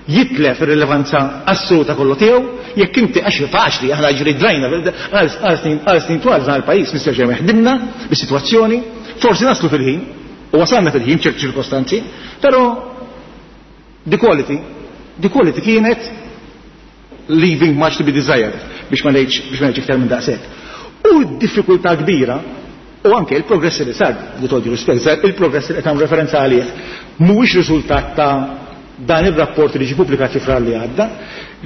jitlef ir-rilevanza assoluta kollu tiegħu jekk inti għax faċli aħna ġri drajna għal snin għal snin twal f'dan il-pajjiż Mister Chairman ħdimna bis-sitwazzjoni, forsi naslu fil-ħin u wasalna fil-ħin ċerti ċirkostanzi, però the quality, the quality kienet leaving much to be desired biex ma ngħidx biex ma ngħidx iktar minn daqshekk. U d-diffikultà kbira u anke il-progress li sar, with all due respect, il-progress li qed nagħmlu referenza għalih mhuwiex riżultat ta' dan ir-rapport li ġie pubblikat fi Frar li għadda,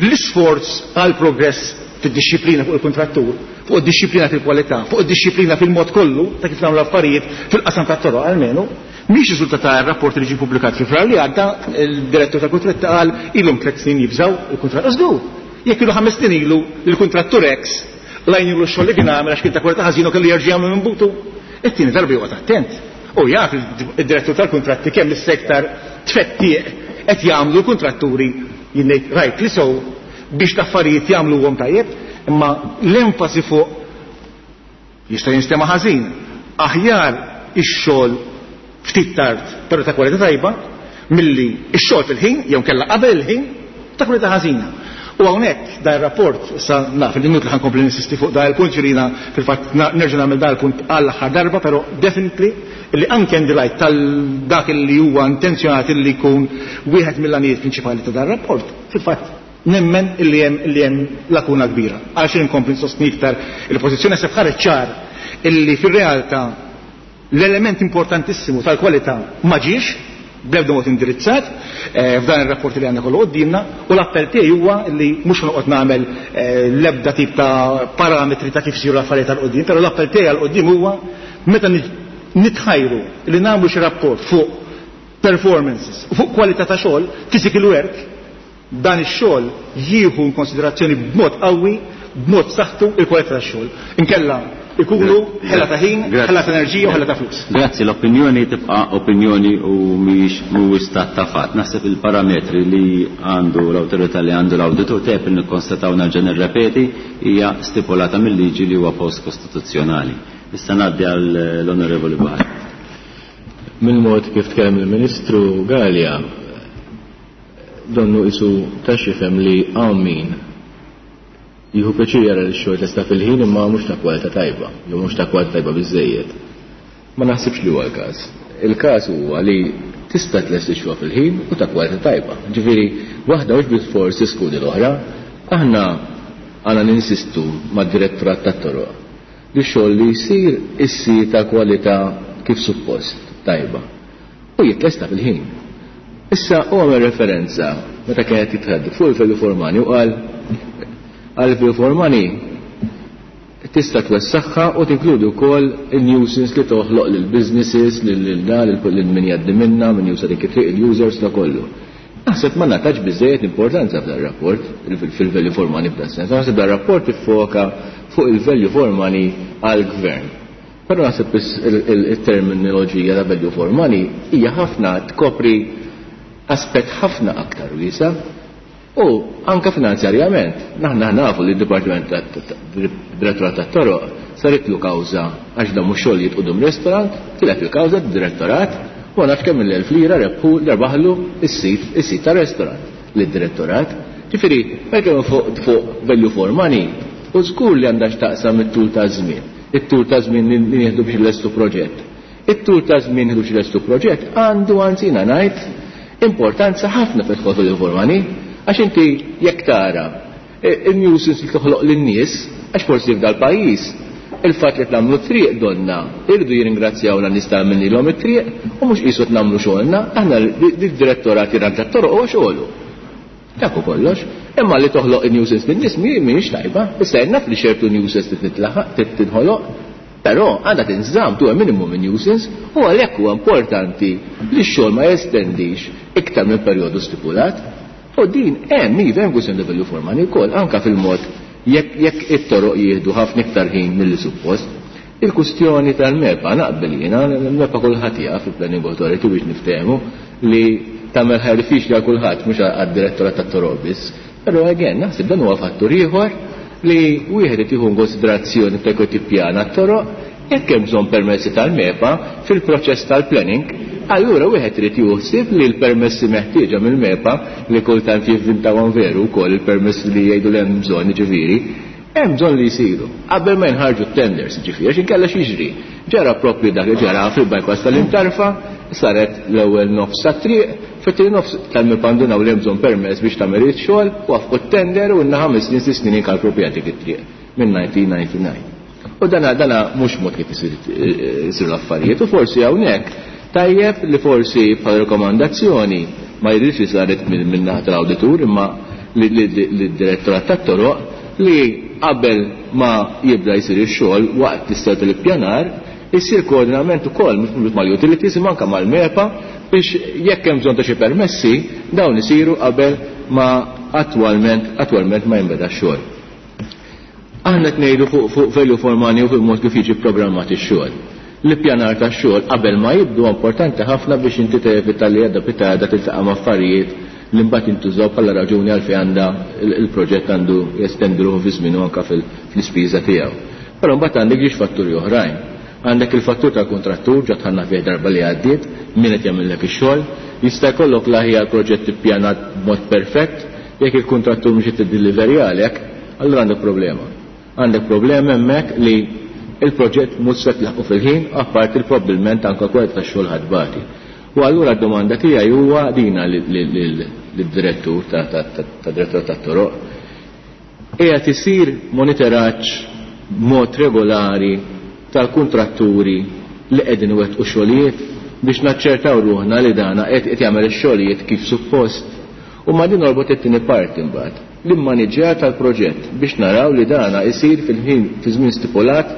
l-isforz għal progress fid-dixxiplina fuq il-kontrattur, fuq id-dixxiplina fil-kwalità, fuq id-dixxiplina fil-mod kollu ta' kif nagħmlu affarijiet fil-qasam tat-toroq almenu, mhix riżultat ta' rapport li ġie pubblikat fi Frar li għadda, il-direttur tal-kuntratti qal ilhom tliet snin jibżgħu il-kuntratt. Żgur, jekk ilu ħames snin ilu il-kuntrattur X lajn ilu x-xogħol li kien għamel għax kien ta' kwalità ħażin u kellu jerġa' jagħmlu minn butu. It-tieni darba joqgħod attent. U jaf id-direttur tal-kuntratti kemm is-sektar tfettieq qed jagħmlu l-kuntratturi jien ngħid rightly so biex l-affarijiet jagħmluhom tajjeb, imma l-enfasi fuq jista' jinstema' ħażin. Aħjar ix-xogħol ftit tard però ta' kwalità tajba milli ix-xogħol fil-ħin jew kellha qabel il-ħin ta' kwalità ħażina. U hawnhekk dan ir-rapport issa naf li inutli ħankompli ninsisti fuq dan il-punt ġirina fil-fatt nerġa' nagħmel dan il-punt għall-aħħar darba, però definitely li anke in the light tal dak li huwa intenzjonat li jkun wieħed mill-għanijiet prinċipali ta' dan ir-rapport, fil-fatt nemmen illi hemm illi hemm lakuna kbira. Għalxejn inkompli nsostni iktar il-pożizzjoni se ħareġ ċar illi fir-realtà l-element importantissimu tal-kwalità ma ġiex bl-ebda mod indirizzat eh, f'dan ir-rapport li għandna kollu quddiemna, u l-appell tiegħi huwa li mhux noqgħod nagħmel eh, l-ebda tip ta' parametri ta' kif isiru l-affarijiet għal quddiem, però l-appell tiegħi għal quddiem huwa meta nitħajru li nagħmlu xi rapport fuq performances u fuq kwalità ta' xogħol, physical work, dan ix-xogħol jieħu in konsiderazzjoni b'mod qawwi, b'mod saħħtu il-kwalità tax-xogħol. Inkella ikunu ħela ta' ħin, ħela ta' enerġija u ħela ta' flus. Grazzi, l-opinjoni tibqa' opinjoni u mhix mhuwiex stat ta' fatt. Naħseb il-parametri li għandu l-awtorità li għandu l-awditur tep nikkonstataw nerġa' nirrepeti hija stipulata mill-liġi li huwa post kostituzzjonali. Issa ngħaddi għall-Onorevoli Buhari. Mill-mod kif tkellem il-Ministru Galea, donnu isu ta' xifhem li hawn min jieħu pjaċir jara li x-xogħol tlesta fil-ħin imma mhux ta' kwalità tajba, jew mhux ta' kwalità tajba biżżejjed. Ma naħsibx li huwa l-każ. Il-każ huwa li tista' tlesti x-xogħol fil-ħin u ta' kwalità tajba. Ġifieri, waħda mhux bilfors tiskludi l-oħra, aħna għandna ninsistu mad-direttorat tat-toroq li x-xogħol li jsir issir ta' kwalità kif suppost tajba u jitlesta fil-ħin. Issa u għamel referenza meta kienet jitħaddu fuq il-value for money u qal għal value for money tista' twessaħħa u tinkludi wkoll il-nuisance li toħloq lil businesses, lil lil min jgħaddi minna, min juża dik it-triq, il-users ta' kollu. Naħseb ma nagħtax biżejjed importanza f'dan rapport fil-value for money f'dan sens. Naħseb dan rapport iffoka fuq il-value for money għall-gvern. Però naħseb il-terminoloġija ta' value for money hija ħafna tkopri aspett ħafna aktar wiesa' u anka finanzjarjament. Naħna nafu li d-Dipartiment Direttorat tat-Toroq saritlu kawża għax dan mhux xogħol quddiem restaurant, tilef il-kawża d-direttorat u ma nafx kemm il-elf lira rebħu rebaħlu is-sit is-sit ta' restaurant lid-direttorat. Ġifieri, meta fuq fuq value for money, u żgur li għandha x'taqsam it-tul ta' żmien. It-tul ta' żmien li nieħdu biex lestu proġett. It-tul ta' żmien biex lestu proġett għandu anzina ngħid importanza ħafna fil value for money. Għax inti jekk tara il-nuisance li toħloq lin-nies, għax forsi f'dal pajjiż, il-fatt li nagħmlu triq donna, irridu jirringrazzjawna nies ta' għamilnilhom it-triq u mhux qisu nagħmlu xogħolna, aħna d-direttorat jirranġa t-toroq huwa xogħlu. Dak kollox. Imma li toħloq il-nuisance lin-nies mhijiex tajba. Issa naf li ċertu nuisance titlaħaq, tinħoloq, però għandha tinżamm to a minimum nuisance u għalhekk huwa importanti li x-xogħol ma jestendix iktar minn perjodu stipulat. U din hemm iva hemm kwistjoni ta' value for money wkoll anka fil-mod jekk jekk it-toroq jieħdu ħafna iktar ħin milli suppost. Il-kustjoni tal-MEPA naqbel jiena, l-MEPA kulħadd jaf fil-Planning Authority biex niftehmu li tagħmel ħajja diffiċli għal kulħadd mhux għad-direttorat tat-toroq biss. Però again naħseb dan huwa fattur ieħor li wieħed irid jieħu konsiderazzjoni ta' jekk tippjana t-toroq jekk hemm bżonn permessi tal-MEPA fil-proċess tal-planning, allura wieħed irid juħsib li l-permessi meħtieġa mill-MEPA li kultant jivvintawhom veru wkoll il-permessi li jgħidu li hemm bżonn jiġifieri, hemm bżonn li jsiru qabel ma jinħarġu t-tenders, jiġifieri għax inkella x'jiġri. Ġara proprju dak li ġara fil-bypass tal-Imtarfa, saret l-ewwel nofs tat-triq, fit-tieni nofs tal-MEPA ndunaw li hemm bżonn permess biex tagħmel ix-xogħol, wafqu t-tender u lna ħames snin sitt snin inkalpru dik it-triq minn nineteen ninety-nine. U dana dana mhux mod kif isiru l-affarijiet u forsi hawnhekk tajjeb li forsi bħala rekomandazzjoni ma jidhirx li saret minn naħa tal-awditur imma lid-direttorat tat-toroq li qabel ma jibda jsir ix-xogħol waqt l-istat tal-ippjanar isir koordinament ukoll mhux mal-utilities imma anke mal-MEPA biex jekk hemm bżonn ta' xi permessi dawn isiru qabel ma attwalment attwalment ma jinbeda x-xogħol. Aħna qed ngħidu fuq fuq value for money u fuq mod kif jiġi programmat ix-xogħol. L-ippjanar tax-xogħol qabel ma jibdu importanti ħafna biex inti tevita li għadda pitada tiltaqa' ma' affarijiet li mbagħad jintużaw bħala raġuni għalfejn għandha il-proġett għandu jestendu ruħu fi żmien u anke fl-ispiża tiegħu. Però mbagħad għandek ġiex fatturi oħrajn. Għandek il-fattur tal-kontrattur ġa tħanna fih darba li għaddiet, min qed jagħmellek ix-xogħol, jista' jkollok l-aħjar proġett ippjanat b'mod perfett, jekk il-kontrattur mhux qed jiddeliverja għalek, allura għandek problema. Għandek problema hemmhekk li il-proġett mhux se tlaħqu fil-ħin, apparti li probabbilment anke kwalità tax-xogħol ħadbati. U allura d-domanda tiegħi huwa dina lid-direttur ta' direttur tat-toroq. Qiegħed isir monitoraġġ b'mod regolari tal-kuntratturi li qegħdin iwettqu xogħlijiet biex naċċertaw ruħna li dana qed jagħmel ix-xogħlijiet kif suppost. U ma din norbot it-tieni parti mbagħad, l-immaniġġjar tal-proġett biex naraw li dana isir fil-ħin fi żmien stipulat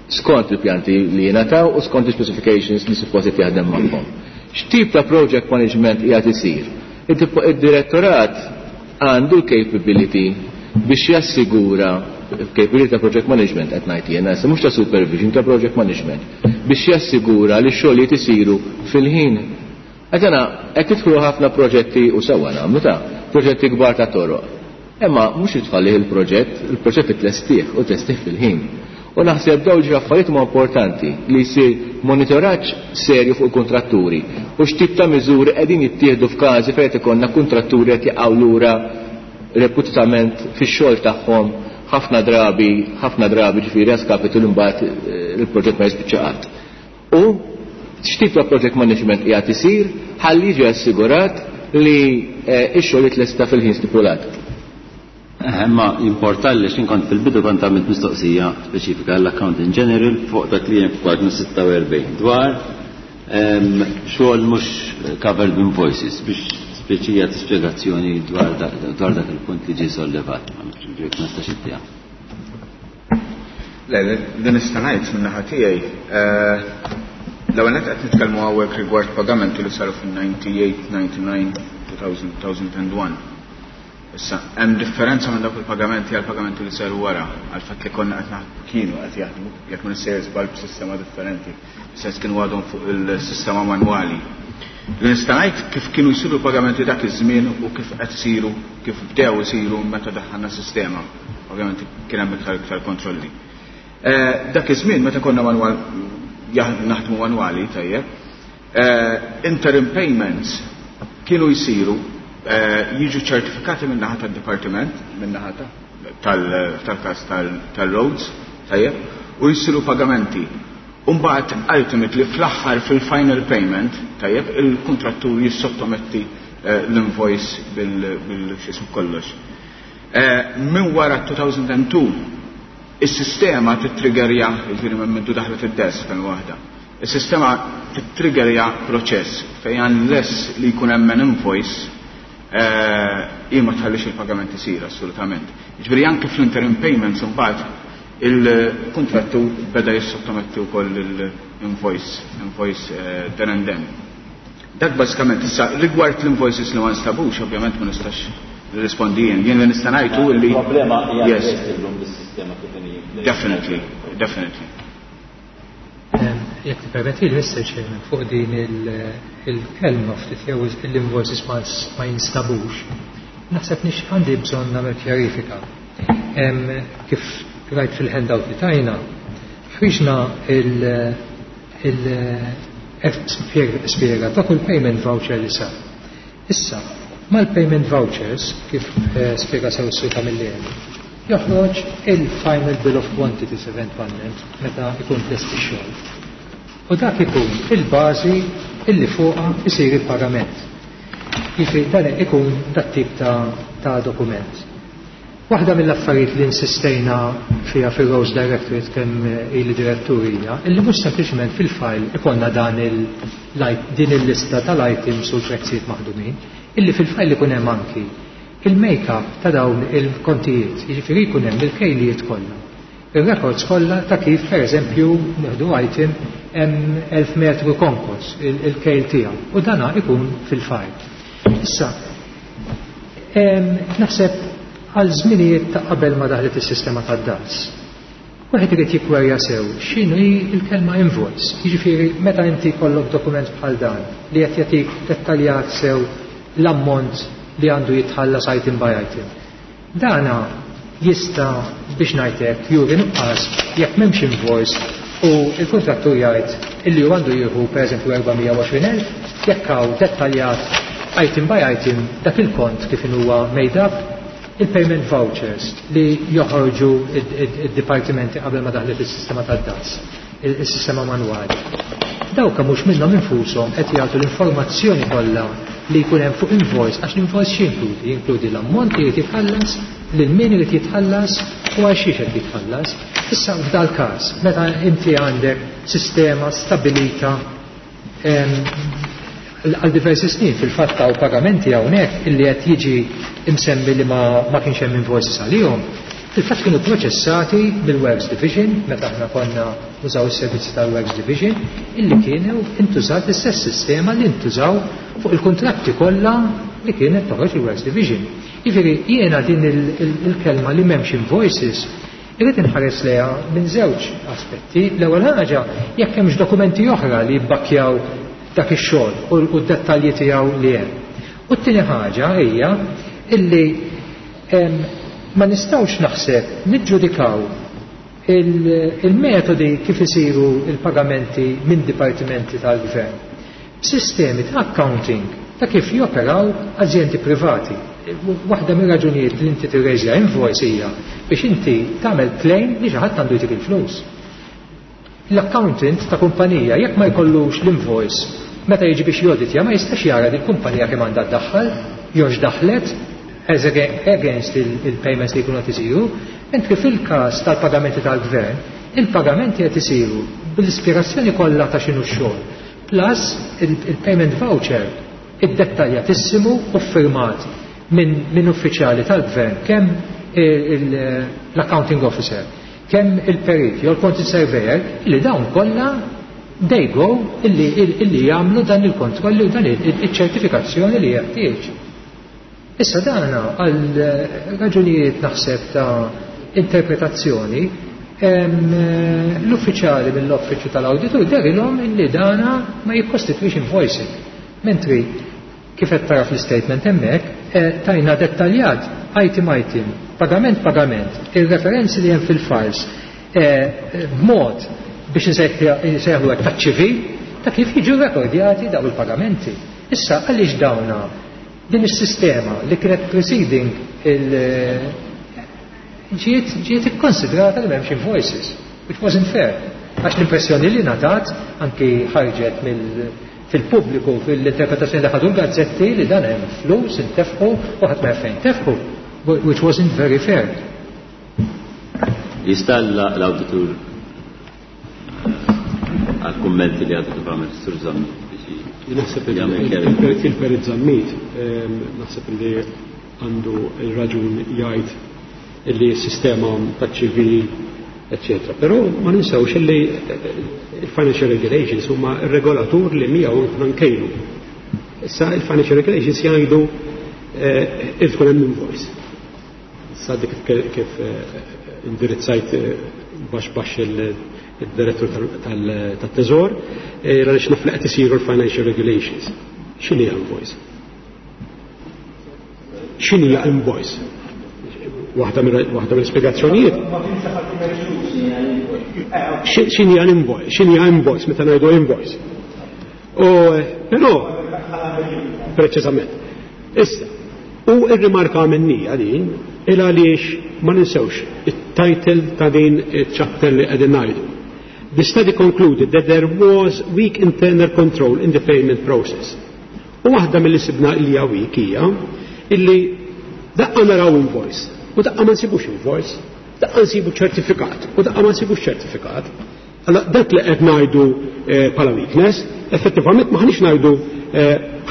skont il-pjanti li jingħataw u skont il-specifications li suppost qed jaħdem magħhom. X'tip ta' project management qiegħed isir? Id-direttorat għandu l-capability biex jassigura capability ta' project management qed ngħid jiena, issa mhux ta' supervision, ta' project management, biex jassigura li x-xogħlijiet isiru fil-ħin. Għax aħna qed tidħlu ħafna proġetti u sewwa nagħmlu ta' proġetti kbar ta' toroq. Imma mhux tfallih il-proġett, il-proġett itlestih u tlestih fil-ħin. U naħseb dawn ġi affarijiet huma importanti li jsir monitoraġġ serju fuq il-kontratturi u x'tip ta' miżuri qegħdin jittieħdu f'każi fejn ikollna kontratturi qed jaqgħu lura reputament fix-xogħol tagħhom ħafna drabi, ħafna drabi ġifieri għaskapitu li mbagħad il-proġett ma jispiċċa qatt. U x'tip ta' project management qiegħed isir ħalli jiġi assigurat li x-xogħol jitlesta fil-ħin stipulat. Ma importa li xin kont fil-bidu kont għamilt mistoqsija speċifika għall-Accountant General fuq dak li hemm f'paġna sitta u erbgħin dwar xogħol mhux covered invoices biex Speċi jagħti spjegazzjoni dwar dak il-punt li ġie sollevat. Ma nistax ittiha. Le, din nista' ngħid min-naħa tiegħi. L-ewwel nett qed nitkellmu hawnhekk rigward pagamenti li saru fin-ninety-eight, ninety-nine, two thousand, two thousand and one. Issa, hemm differenza minn dawk il-pagamenti għal pagamenti li saru wara, għal fatt li konna qed naħdmu, kienu qed jaħdmu, jekk ma nissejjer żball b'sistema differenti, sens kienu għadhom fuq il-sistema manwali. Li nista' ngħid kif kienu jsiru pagamenti dak iż-żmien u kif qed isiru, kif bdew isiru meta daħħalna sistema. Ovvjament kien hemm iktar iktar kontrolli. Eh, dak iż-żmien meta konna manwal jah-, naħdmu manwali, tajjeb, eh, interim payments kienu jsiru, eh, jiġu ċertifikati min-naħa tad-dipartiment, min-naħa tal-, tal-każ tal-, tal-roads, tajjeb, u jsiru pagamenti. Umbagħad ultimately fl-aħħar fil-final payment, tajjeb, il-kontrattur jissottometti, eh, l-invoice bil-, bil-xismu kollox. Eh, minn wara two thousand and two, is-sistema titriggerja, jiġifieri minn mindu daħlet id-desk tal waħda. Is-sistema titriggerja proċess fejn unless li jkun hemm an invoice, eh, hi ma tħallix il-pagament isir assolutament. Jiġifieri anke fl-interim payments imbagħad il-kontrattur beda jissottometti wkoll l-invoice, invoice, eh, then and then. Dak bażikament issa rigward l-invoices li ma nstabux, ovvjament ma nistax nirrispondi jien. Jien li nista' ngħidu li Il-problema hija Yes. illum bis-sistema kif inhi. Definitely, definitely. Em, jekk tippermetti li Mister Chairman, fuq din il-, il-kelma ftit jew l-invoices ma s-, ma jinstabux, naħseb nix għandi bżonn nagħmel kjarifika. Em, kif rajt fil-handout li tajna, ħriġna il-, il-, spjega ta' kull payment voucher li sar. Issa, mal-payment vouchers, kif, eh, spjega sew s-Sur Camilleri, joħroġ il-final bill of quantities eventwalment meta ikun tlest ix-xogħol. U dak ikun il-bażi illi fuqha isir il-pagament. Jiġifieri dan ikun dat tip ta', ta' dokument. Waħda mill-affarijiet li insistejna fiha fil-Roads Directorate kemm ili direttur hija illi mhux sempliċement fil-file ikollna dan il-, din il-lista tal-items u l-prezzijiet maħdumin, illi fil-file ikun hemm anki il-make-up ta' dawn il-kontijiet, jiġifieri jkun hemm il-kejlijiet kollha. Il-records kollha ta' kif pereżempju nieħdu item hemm elf metru konkos il-, il-kejl tiegħu u dana ikun fil-file. Issa, em, naħseb għal żminijiet ta' qabel ma daħlet is-sistema tad-D A S. Wieħed irid jikkwerja sew x'inhu hi l-kelma invoice. Jiġifieri meta inti jkollok dokument bħal dan li qed jagħtik dettaljat sew l-ammont li għandu jitħallas item by item. Dana jista' biex ngħidlek juri nuqqas jekk m'hemmx invoice u l-kuntrattur jgħid illi hu għandu jieħu pereżempju erba' mija u għoxrin elf jekk hawn dettaljat item by item dak il-kont kif huwa made up, il-payment vouchers li joħorġu id-dipartimenti qabel ma daħlet is-sistema tad-D A S, il-sistema manwali. Dawk mhux minnhom infushom qed jagħtu l-informazzjoni kollha li jkun hemm fuq invoice, għax l-invoice x'jinkludi? Jinkludi l-ammont li jrid jitħallas, lil min irid jitħallas u għal xiex qed jitħallas. Issa f'dal każ, meta inti għandek sistema stabilita, em, għal diversi snin, fil-fatt hawn pagamenti hawnhekk illi qed jiġi imsemmi li ma, ma kienx hemm invoices għalihom, fil-fatt kienu proċessati mill-Works Division, meta aħna konna nużaw is-servizzi tal-Works Division, illi kienu intużat l-istess sistema li ntużaw fuq il-kontratti kollha li kienet toħroġ il-Works Division. Jiġifieri jiena din il-, il-, il-kelma li m'hemmx invoices irrid inħares lejha minn żewġ aspetti. L-ewwel ħaġa, jekk hemmx dokumenti oħra li jibbakkjaw dak ix-xogħol u, u d-dettalji tiegħu li hemm. U t-tieni ħaġa hija illi, em, ma nistgħux naħseb niġġudikaw il-, il-metodi kif isiru il-pagamenti minn dipartimenti tal-gvern b'sistemi ta' accounting ta' kif joperaw azjendi privati. Waħda mir-raġunijiet li inti tirreġja invoice hija biex inti tagħmel claim li xi ħadd għandu jtik il-flus. L-accountant ta' kumpanija jekk ma jkollux l-invoice meta jiġi biex joditja ma jistax jara din kumpanija kemm għandha ddaħħal jew x'daħlet as against il-, il-payments li jkunu qed isiru, mentri fil-każ tal-pagamenti tal-gvern, il-pagamenti qed isiru bil-ispirazzjoni kollha ta' x'inhu x-xogħol, plus il-, il-payment voucher Iddettaljatissimu u firmat minn min uffiċjali tal-gvern, kemm l-accounting officer, kemm il-perit jew il-quantity surveyor, li dawn kollha they go illi, illi jagħmlu dan il-kontrolli u dan il-ċertifikazzjoni li jeħtieġ. Issa dana għal raġunijiet naħseb ta' interpretazzjoni, l-uffiċjali mill-uffiċċju tal-awditur derilhom illi dana ma jikkostitwix invoicing. Mentri kif qed tara fl-statement hemmhekk, eh, tajna dettaljat item item, pagament pagament, il-referenzi li hemm fil-files, eh, b'mod biex nsejħlu hekk taċ-ċivil ta' kif jiġu rekordjati daw il-pagamenti. Issa għaliex dawna din is-sistema li kienet preceding il- ġiet ġiet ikkonsidrata li m'hemmx invoices, which wasn't fair. Għax l-impressjoni li ngħatat anki ħarġet mill fil-pubbliku fil-interpretazzjoni li ħadu l-gazzetti li dan hemm flus intefqu u ħadd ma fejn tefqu, which wasn't very fair. Jista' l-awditur għal-kummenti li għadu kif għamel Sur Zammit biex Naħseb jagħmel chiariment. Il-perit Zammit, ehm, naħseb li għandu il-raġun jgħid illi s-sistema ta' ċivil, eccetera. Però ma ninsewx illi il-financial regulations huma il-regolatur li miegħu aħna nkejlu. Issa il-financial regulations jgħidu eh, irid tkun hemm invoice. Issa dik kif eh, indirizzajt eh, baxx baxx il-direttur tat-teżor, għaliex naf li qed isiru l-financial regulations. X'inhi invoice? X'inhi invoice? Waħda mill-spjegazzjonijiet. X'inhi invoice? X'inhi invoice meta ngħidu invoice? U però preċiżament. Issa, u ir-rimarka minnija din il għaliex ma ninsewx it-title ta' din il-chapter li qegħdin ngħidu. The study concluded that there was weak internal control in the payment process. U waħda mill-li sibna li hija weak hija illi daqqa naraw invoice u daqqa ma nsibux invoice, daqqa nsibu ċertifikat u daqqa ma nsibux ċertifikat. Allora dak li qed ngħidu bħala weakness, effettivament ma ħanix ngħidu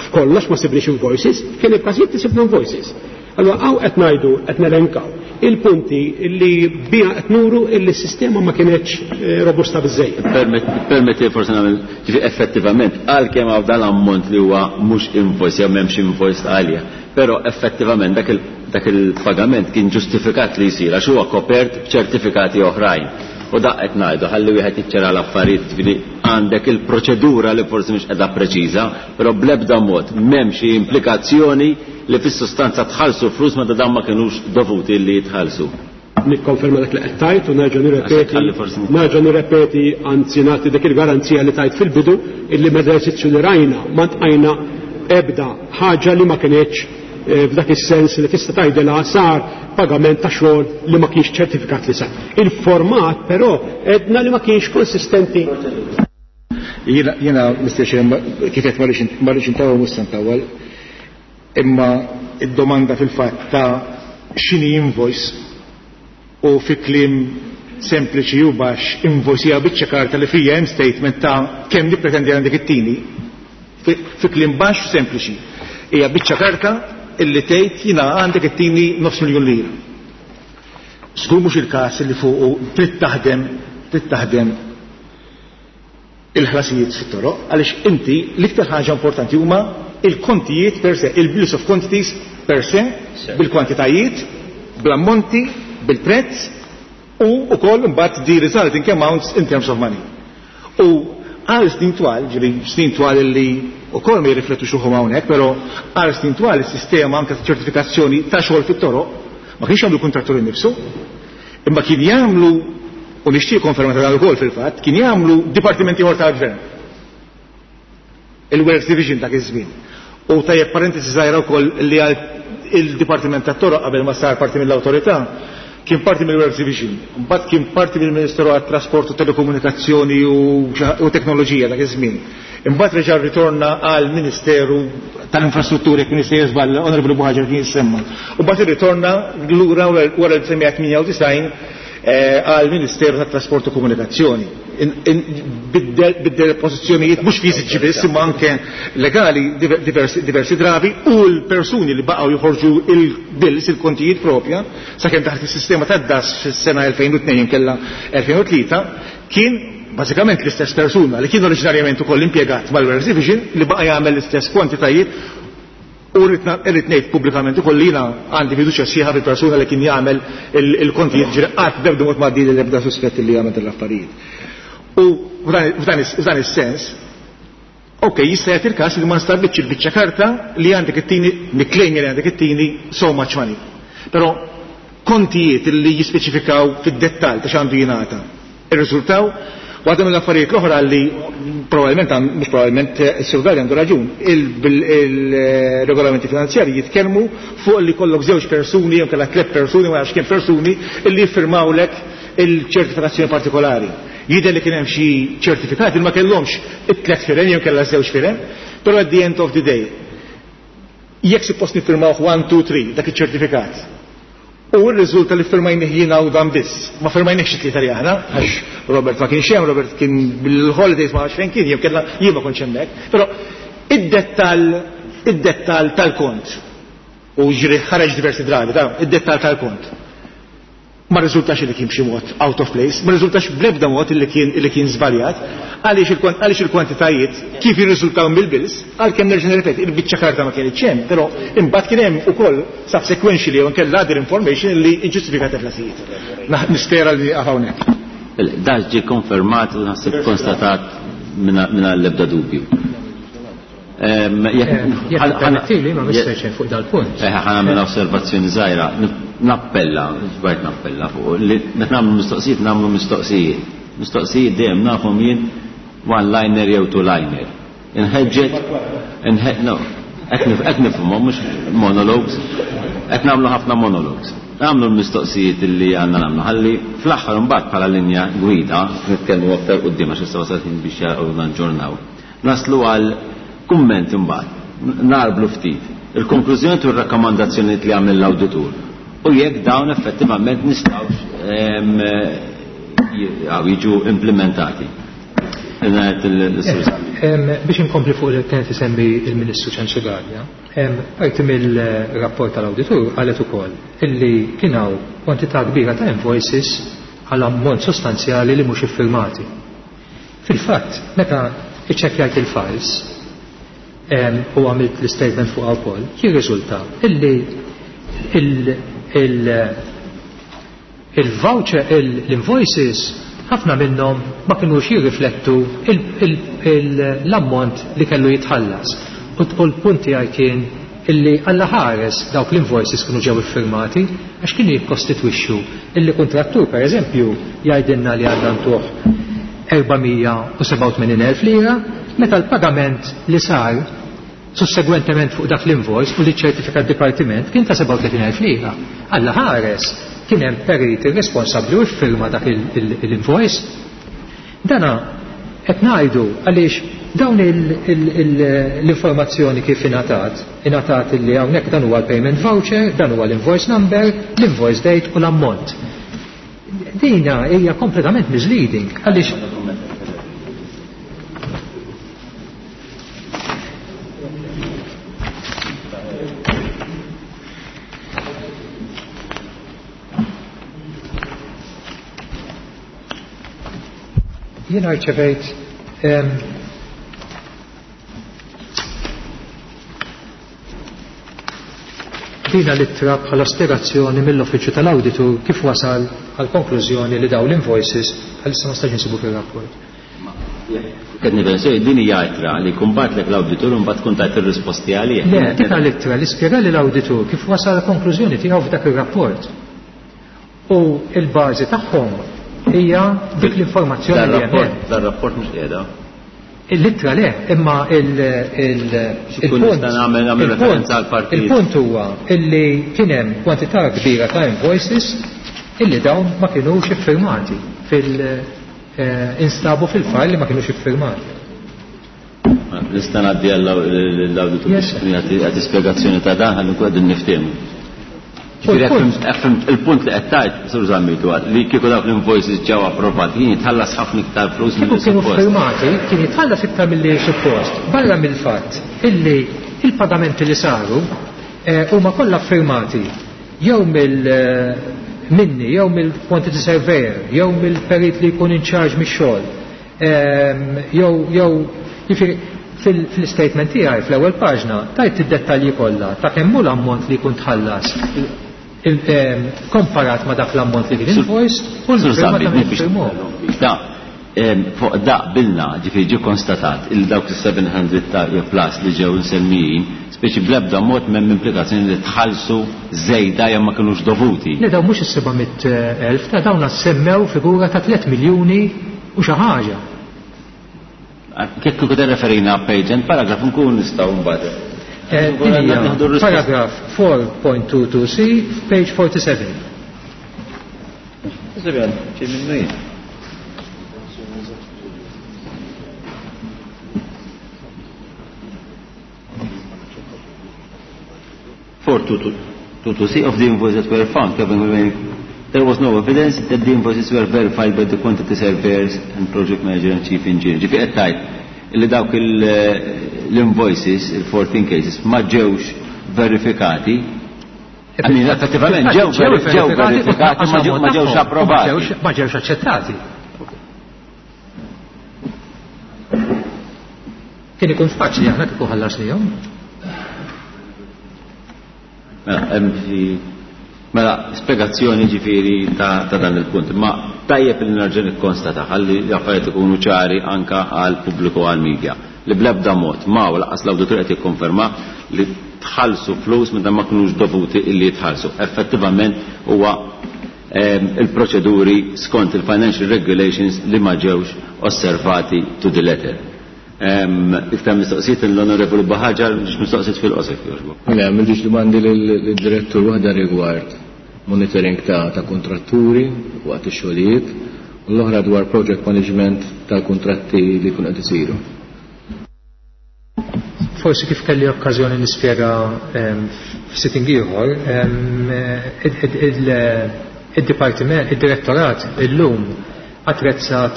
f'kollox ma sibniex invoices, kien il-każijiet li sibna invoices. Allora hawn qed ngħidu, qed nelenkaw il-punti li bija qed nuru illi s-sistema ma kienetx robusta biżejjed. Permetti forsi nagħmel, ġifi effettivament għalkemm hawn dan l-ammont li huwa mhux invoice jew m'hemmx invoice għalija, però effettivament dak il dak il-pagament kien ġustifikat li jsir għax huwa kopert b'ċertifikati oħrajn. U dak qed ngħidu ħalli wieħed jiċċara l-affarijiet, ġifieri għandek il-proċedura li forsi mhix qiegħda preċiża, però bl-ebda mod m'hemm xi implikazzjoni li fis-sustanza tħallsu flus meta dan ma kinux dovuti li jitħallsu. Nikkonferma dak li qed tajt u nerġa' nirrepeti, Ħalli forsi nerġa' nirrepeti, anzi nagħti dik il-garanzija li tajt fil-bidu illi mill-eżerċizzju li rajna ma ntqajna ebda ħaġa li ma kienx f'dak is-sens li tista' tgħidilha sar pagament ta' xogħol li ma kienx ċertifikat li sar. Il-format però edna li ma kienx konsistenti. Jiena, jiena Mister Chair, kif qed ma rridx intawwal mhux se ntawwal, imma id-domanda fil-fatt ta' x'inhi invoice u fi kliem sempliċi u baxx invoice hija biċċa karta li fija hemm statement ta' kemm nippretendi għandek it-tieni. Fi kliem baxx u sempliċi. Hija biċċa karta illi tgħid jiena għandek it-tieni nofs miljun lira. Żgur mhux il-każ li fuqu trid taħdem, trid taħdem il-ħlasijiet fit-toroq, għaliex inti l-iktar ħaġa importanti huma il-kontijiet per se, il-bills of quantities per se, bil-kwantitajiet, bl-ammonti, bil-prezz u wkoll imbagħad the resulting amounts in terms of money. U għal snin twal, ġifieri snin twal li wkoll ma jirriflettux ruħhom hawnhekk, però għal snin twal is-sistema anke ta' ċertifikazzjoni ta' xogħol fit-toroq ma kienx jagħmlu kuntratturi nnifsu, imma kien jagħmlu, u nixtieq konferma ta' dan ukoll fil-fatt, kien jagħmlu dipartimenti ieħor tal-gvern. Il-Works Division dak iż-żmien. U tajjeb parentesi żgħira wkoll li għal il-Dipartiment tat-Toroq qabel ma sar parti mill-awtorità kien parti mill-Works Division, mbagħad kien parti mill-Ministeru għat-Trasport u Telekomunikazzjoni u, u Teknoloġija dak iż-żmien. Imbagħad reġa' ritorna għal Ministeru tal-Infrastruttura, jekk Ministeru żball, Onorevoli Buhaġar kien jissemma. U mbagħad irritorna lura wara l-semmija tmienja u disgħin għal Ministeru tat-Trasport u Komunikazzjoni. Biddel pożizzjonijiet mhux fiżiċi biss imma anke legali diversi, diversi drabi, u l-persuni li baqgħu joħorġu il-bills, il-kontijiet propja, sakemm taħt is-sistema tad-D A S fis-sena elfejn u tnejn kella elfejn u tlieta, kien bażikament l-istess persuna li kien oriġinarjament ukoll impjegat mal-Warehouse Division li baqa' jagħmel l-istess kwantitajiet. U rrid ngħid pubblikament ukoll li jiena għandi fiduċja sħiħa fil-persuna li kien jagħmel il-kontijiet, ġifieri qatt b'ebda mod ma għaddi l-ebda suspett li jagħmel l-affarijiet. U f'dan is-sens, ok, jista' jagħti il-każ li ma nstabitx il-biċċa karta li għandek it-tini, niklejmi li għandek it-tini so much money. Però kontijiet li jispeċifikaw fid-dettall ta' x'għandu jingħata irriżultaw. Waħda mill-affarijiet l-oħra li probabbilment, mhux probabbilment, is-Sur Galli għandu raġun, il-regolamenti finanzjarji jitkellmu fuq li kollok żewġ persuni jew kellha tliet persuni, ma nafx kemm persuni, illi jiffirmawlek il-ċertifikazzjoni partikolari. Jidher li kien hemm xi ċertifikati li ma kellhomx it-tliet firem jew kellha żewġ firem, però at the end of the day, jekk suppost niffirmawh one, two, three dak iċ-ċertifikat, u r-riżulta li firmajnih jiena u dan biss. Ma firmajniex it-tlieta li aħna, għax Robert ma kienx hemm, Robert kien bil-holidays, ma nafx fejn kien, jew kellha jien ma kontx hemmhekk. Però id-dettall, id-dettall tal-kont, u ġri ħareġ diversi drabi, ta' id-dettall tal-kont ma riżultax li kien b'xi mod out of place, ma riżultax bl-ebda mod li kien li kien żbaljat, għaliex għaliex il-kwantitajiet kif jirriżultaw mill-bills, għalkemm nerġa' nirrepeti, il-biċċa karta ma kienx hemm, però imbagħad kien hemm ukoll subsequentially jew inkella other information li ġustifikat il-ħlasijiet. Nispera li hawnhekk. Dan ġie konfermat u naħseb konstatat minn l-ebda dubju. Jekk permettili, ma misterx fuq dal-punt. Eh, ħa nagħmel osservazzjoni żgħira. Nappella, żbajt nappella fuq li meta nagħmlu mistoqsijiet, nagħmlu mistoqsijiet. Mistoqsijiet dejjem nafhom jien one-liner jew two-liner. Inħeġġeġ, inħe-, no, qed nifhimhom, mhux monologues, qed nagħmlu ħafna monologues. Nagħmlu l-mistoqsijiet li għandna nagħmlu, ħalli fl-aħħar imbagħad bħala linja gwida, nitkellmu aktar quddiem għax issa wasal ħin biex jaqgħu naġġornaw. Naslu għal kumment imbagħad, narblu ftit il-konklużjoni u r-rakkomandazzjonijiet li għamel l-awditur. U jekk dawn effettivament nistgħux jiġu implementati. Biex inkompli fuq li kienet isemmi il-Ministru Ċensu Galea, parti mill-rapport tal-awditur qalet ukoll illi kien hawn kwantità kbira ta' invoices għal ammont sostanzjali li mhux iffirmati. Fil-fatt, meta iċċekkjajt il-files u għamilt l-statement fuq wkoll, jirriżulta illi il-voucher, l-invoices ħafna minnhom ma kinux jirriflettu l-ammont li kellu jitħallas. U l-punt tiegħi kien illi alla ħares dawk l-invoices kienu ġew iffirmati, għax kienu jikkostitwixxu illi kontrattur, per eżempju, jgħidilna li għandna ntuh erba' mija u sebgħa u tmenin elf lira, meta l-pagament li sar sussegwentement fuq dak l-invoice u li ċertifika d-dipartiment kien ta' sebgħa u tletin elf lira. Alla ħares kien hemm periti responsabbli u ffirma dak l-invoice. Dana qed ngħidu għaliex dawn l-informazzjoni kif ingħatat, ingħatat illi hawnhekk dan huwa l-payment voucher, dan huwa l-invoice number, l-invoice date u l-ammont. Dina hija kompletament misleading għaliex jiena rċevejt dina l-ittra bħala spjegazzjoni mill-uffiċċju tal-awditur kif wasal għal konklużjoni li daw l-invoices għalissa ma stax insibu fir-rapport. Qed nifhem sew, din hija ittra li jkun bagħtlek l-awditur u mbagħad tkun tajt ir-risposti għalih. Le, dina l-ittra li spjega li l-awditur kif wasal għal konklużjoni tiegħu f'dak ir-rapport. U l-bażi tagħhom hija dik l-informazzjoni li hemm. Dar-rapport mhux qiegħda. Il-ittra le, imma il-, il-, Xi kun il-punt nista' nagħmel, nagħmel il-punt referenza għal partit. Il-punt huwa illi kien hemm kwantità kbira ta' invoices illi dawn ma kinux iffirmati fil-, eh, instabu fil-fajl li ma kinux iffirmati. Nista' ngħaddi għall-awditur Yes. biex jagħti spjegazzjoni ta' dan ħalli nkun qegħdin niftehmu. Ġifieri il-punt li qed tgħid, Sur Zammit, huwa li kieku dawk l-invoices ġew approvati kien jitħallas ħafna iktar flus milli suppost. Kieku kienu firmati, kien jitħallas iktar milli suppost. Barra mill-fatt illi il-pagamenti li saru huma kollha firmati jew mill minni, jew mill-quantity surveyor, jew mill-perit li jkun in charge mix-xogħol. Jew jew jiġifieri fil-statement tiegħi fl-ewwel paġna tajt id-dettalji kollha ta' kemm hu l-ammont li jkun tħallas komparat ma' dak l-ammont li kien invoice u l-firma ta' min firmuh. Da, fuq da bilna ġifieri ġie konstatat il dawk is-seven hundred plus li ġew insemmijin, speċi bl-ebda mod m'hemm implikazzjoni li tħallsu żejda jew ma kinux dovuti. Le, dawn mhux is-seba' mitt elf, ta' dawn semmew figura ta' tliet miljuni u xi ħaġa. Kif kieku referina page and paragraph nkun nistgħu mbagħad. Paragraph four point two two C, page forty-seven. four two two C of the invoices that were found, there was no evidence that the invoices were verified by the quantity surveyors and project manager and chief engineer. Ġifieri qed tgħid li dawk l-invoices, il-fourteen cases, ma ġewx verifikati. I mean, effettivament ġew verifikati, ma ġewx approvati. Ma ġewx aċċettati. Kien ikun faċli aħna kieku ħallasnihom. Mela, hemm xi mela spjegazzjoni ġifieri ta', ta dan il-punt. Ma tajjeb li nerġa' nikkonstata ħalli l-affarijiet ikunu ċari anka għal pubbliku għal media li bl-ebda mod ma u lanqas l-awditur qed jikkonferma li tħallsu flus meta ma kinux dovuti illi jitħallsu. Effettivament huwa il-proċeduri skont il-financial regulations li ma ġewx osservati to the letter. Iktar mistoqsijiet l-Onorevoli Baħaġar, biex mistoqsijiet fil-qosor jogħġbok. Le, m'għandix domandi lill-direttur waħda rigward monitoring ta', ta' kontratturi waqt ix-xogħlijiet u l-oħra dwar project management tal-kuntratti li jkunu qed isiru. Forsi kif kelli okkażjoni nispjega f'sitting ieħor, id-dipartiment, id-direttorat illum attrezzat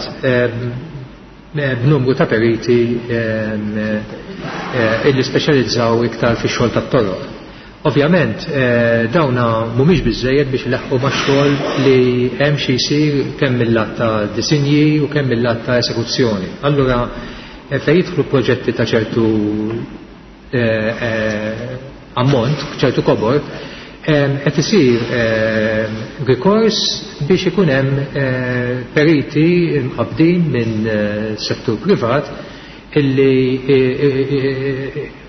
b'numru ta' periti illi speċjalizzaw iktar fix-xogħol tat-toroq. Ovvjament dawna mhumiex biżżejjed biex ileħħu max-xogħol li hemm xi jsir kemm mill-lat ta' disinji u kemm mill-lat ta' esekuzzjoni. Allura fejn jidħlu proġetti ta' ċertu ammont, ċertu kobor, qed isir rikors biex ikun hemm periti mqabbdin minn settur privat illi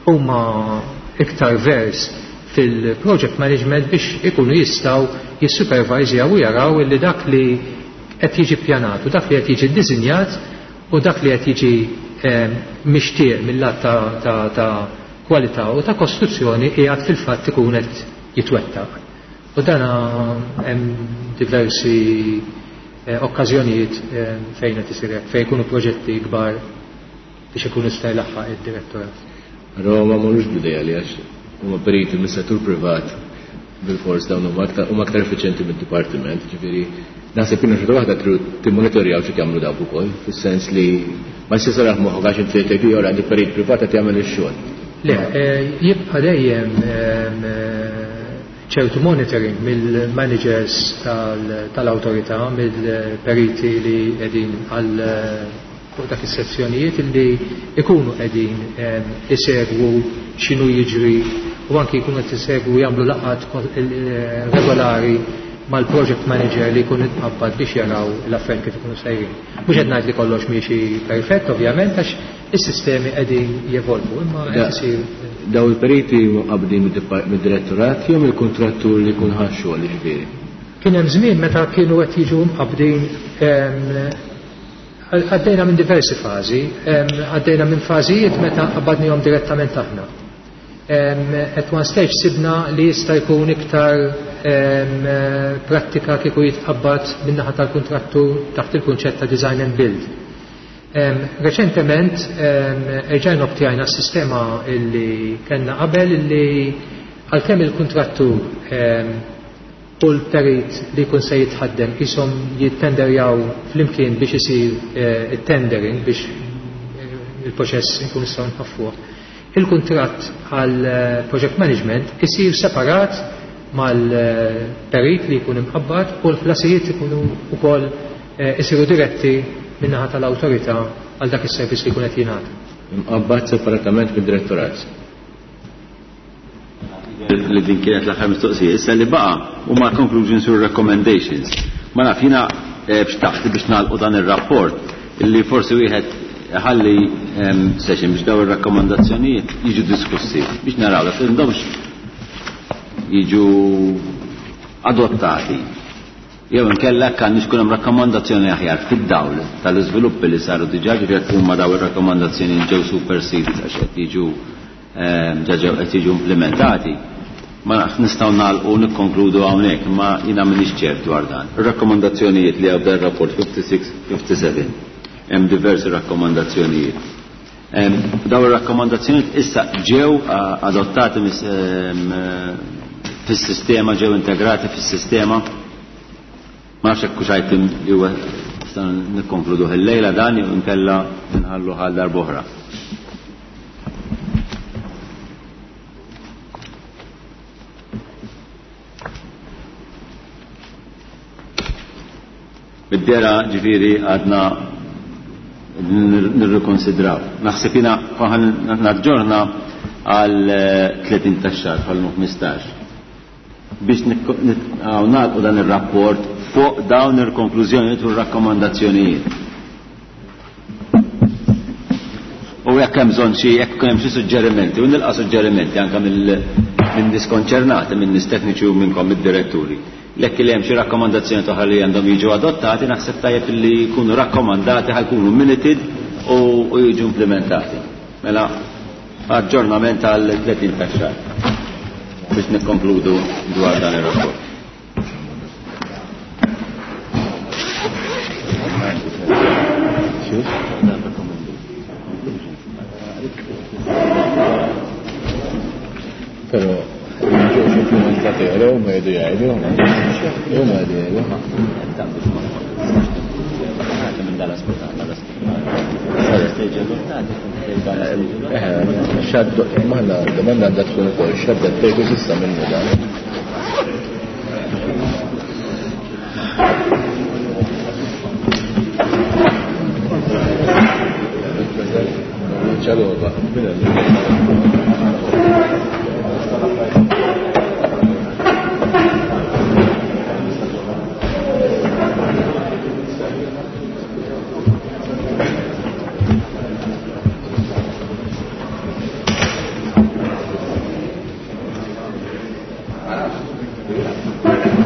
huma iktar vers fil-project management biex ikunu jistgħu jissupervajżjaw u jaraw illi dak li qed jiġi ppjanat u dak li qed jiġi ddisinjat u dak li qed jiġi mixtieq mill-lat ta', ta, kwalità u ta' kostruzzjoni qiegħed fil-fatt ikun qed jitwettaq. U dan hemm diversi okkażjonijiet fejn qed isir hekk, fejn ikunu proġetti kbar biex ikun jista' jlaħħaq id-direttorat. Roma mhux bidejja li għax huma periti mis-settur privat bil-fors dawn huma aktar huma aktar effiċjenti mid-dipartiment, ġifieri naħseb kienu xorta waħda tridu timmonitorjaw xi jagħmlu dawk ukoll, fis-sens li ma jistax saraħ moħħok għax inti tgħid ieħor għandi perit privat qed jagħmel ix-xogħol. Le, jibqa' dejjem ċertu monitoring mill-managers tal-awtorità, mill-periti li qegħdin għal fuq dak is-sezzjonijiet illi ikunu qegħdin isegwu x'inhu jiġri u anki jkunu qed isegwu jagħmlu laqgħat regolari mal-project manager li jkun itqabbad biex jaraw l-affarijiet kif ikunu sejrin. Mhux qed ngħid li kollox miexi perfett ovvjament għax is-sistemi qegħdin jevolvu, imma qed isir. Daw il-periti qabdin mid-direttorat jew mill-kuntrattur li jkun ħa x-xogħol jiġifieri? Kien hemm żmien meta kienu qed jiġu mqabbdin, għaddejna minn diversi fażi, għaddejna minn fażijiet meta qabbadnihom direttament aħna. At one stage sibna li jista' jkun iktar prattika kieku jitqabbad min-naħa tal-kuntrattur taħt il-kunċett ta' design and build. Reċentement erġajna obtjajna s-sistema illi kellna qabel illi għalkemm il-kuntrattur u l-perit li jkun se jitħaddem qishom jittenderjaw flimkien biex isir eh, it-tendering biex eh, il-proċess nkun nistgħu nħaffuh. Il-kuntratt għal eh, project management isir separat mal-perit li jkun imqabbad u l-ħlasijiet ikunu wkoll isiru diretti min-naħa tal-awtorità għal dak is-servizz li jkun qed jingħata. Imqabbad separatament mid-direttorat. Li din kienet l-aħħar mistoqsija. Issa li baqa' huma conclusions u recommendations. Ma naf jiena bxtaqt biex nagħlqu dan ir-rapport illi forsi wieħed ħalli session biex daw ir-rakkomandazzjonijiet jiġu diskussi biex naraw li m'għandhomx jiġu adottati. Jew inkella kan ikun hemm rakkomandazzjoni aħjar fid-dawl tal-iżviluppi li saru diġà, ġifieri jekk huma daw ir-rakkomandazzjoni ġew superseded għax qed jiġu ġew qed jiġu implementati. Ma nafx nistgħu nagħlqu nikkonkludu hawnhekk, imma jiena m'iniex ċert dwar dan. Ir-rakkomandazzjonijiet li għabda r-rapport fifty-six fifty-seven hemm diversi rakkomandazzjonijiet. Daw ir-rakkomandazzjonijiet issa ġew adottati fis-sistema, ġew integrati fis-sistema. Ma nafx hekk hux item li huwa nistgħu nikkonkluduh illejla dan jew inkella nħallu għal darb'oħra. Bid-dera ġifieri għadna nirrikonsidraw. Naħseb jiena naġġorna għal tletin tax-xahar bħal ħmistax biex nagħlqu dan ir-rapport fuq dawn il-konklużjonijiet u r-rakkomandazzjonijiet. U jekk hemm bżonn xi, jekk hemm xi suġġerimenti, u nilqa' suġġerimenti anke minn nies konċernati, minn nies tekniċi u minnkom id-diretturi. Lekk li hemm xi rakkomandazzjoni oħra li għandhom jiġu adottati, naħseb tajjeb li jkunu rakkomandati ħajkunu minuted u jiġu implementati. Mela aġġornament għal tletin tax-xahar biex nikkonkludu dwar dan ir-rapport. Però ġew implementati għal ma jgħidu jgħidu, jew ma jgħidu jgħidu. Xaddu, maħna domanda għandha tkun ukoll xadda t-tejku s'issa minnu dan. Ċalova, Thank you.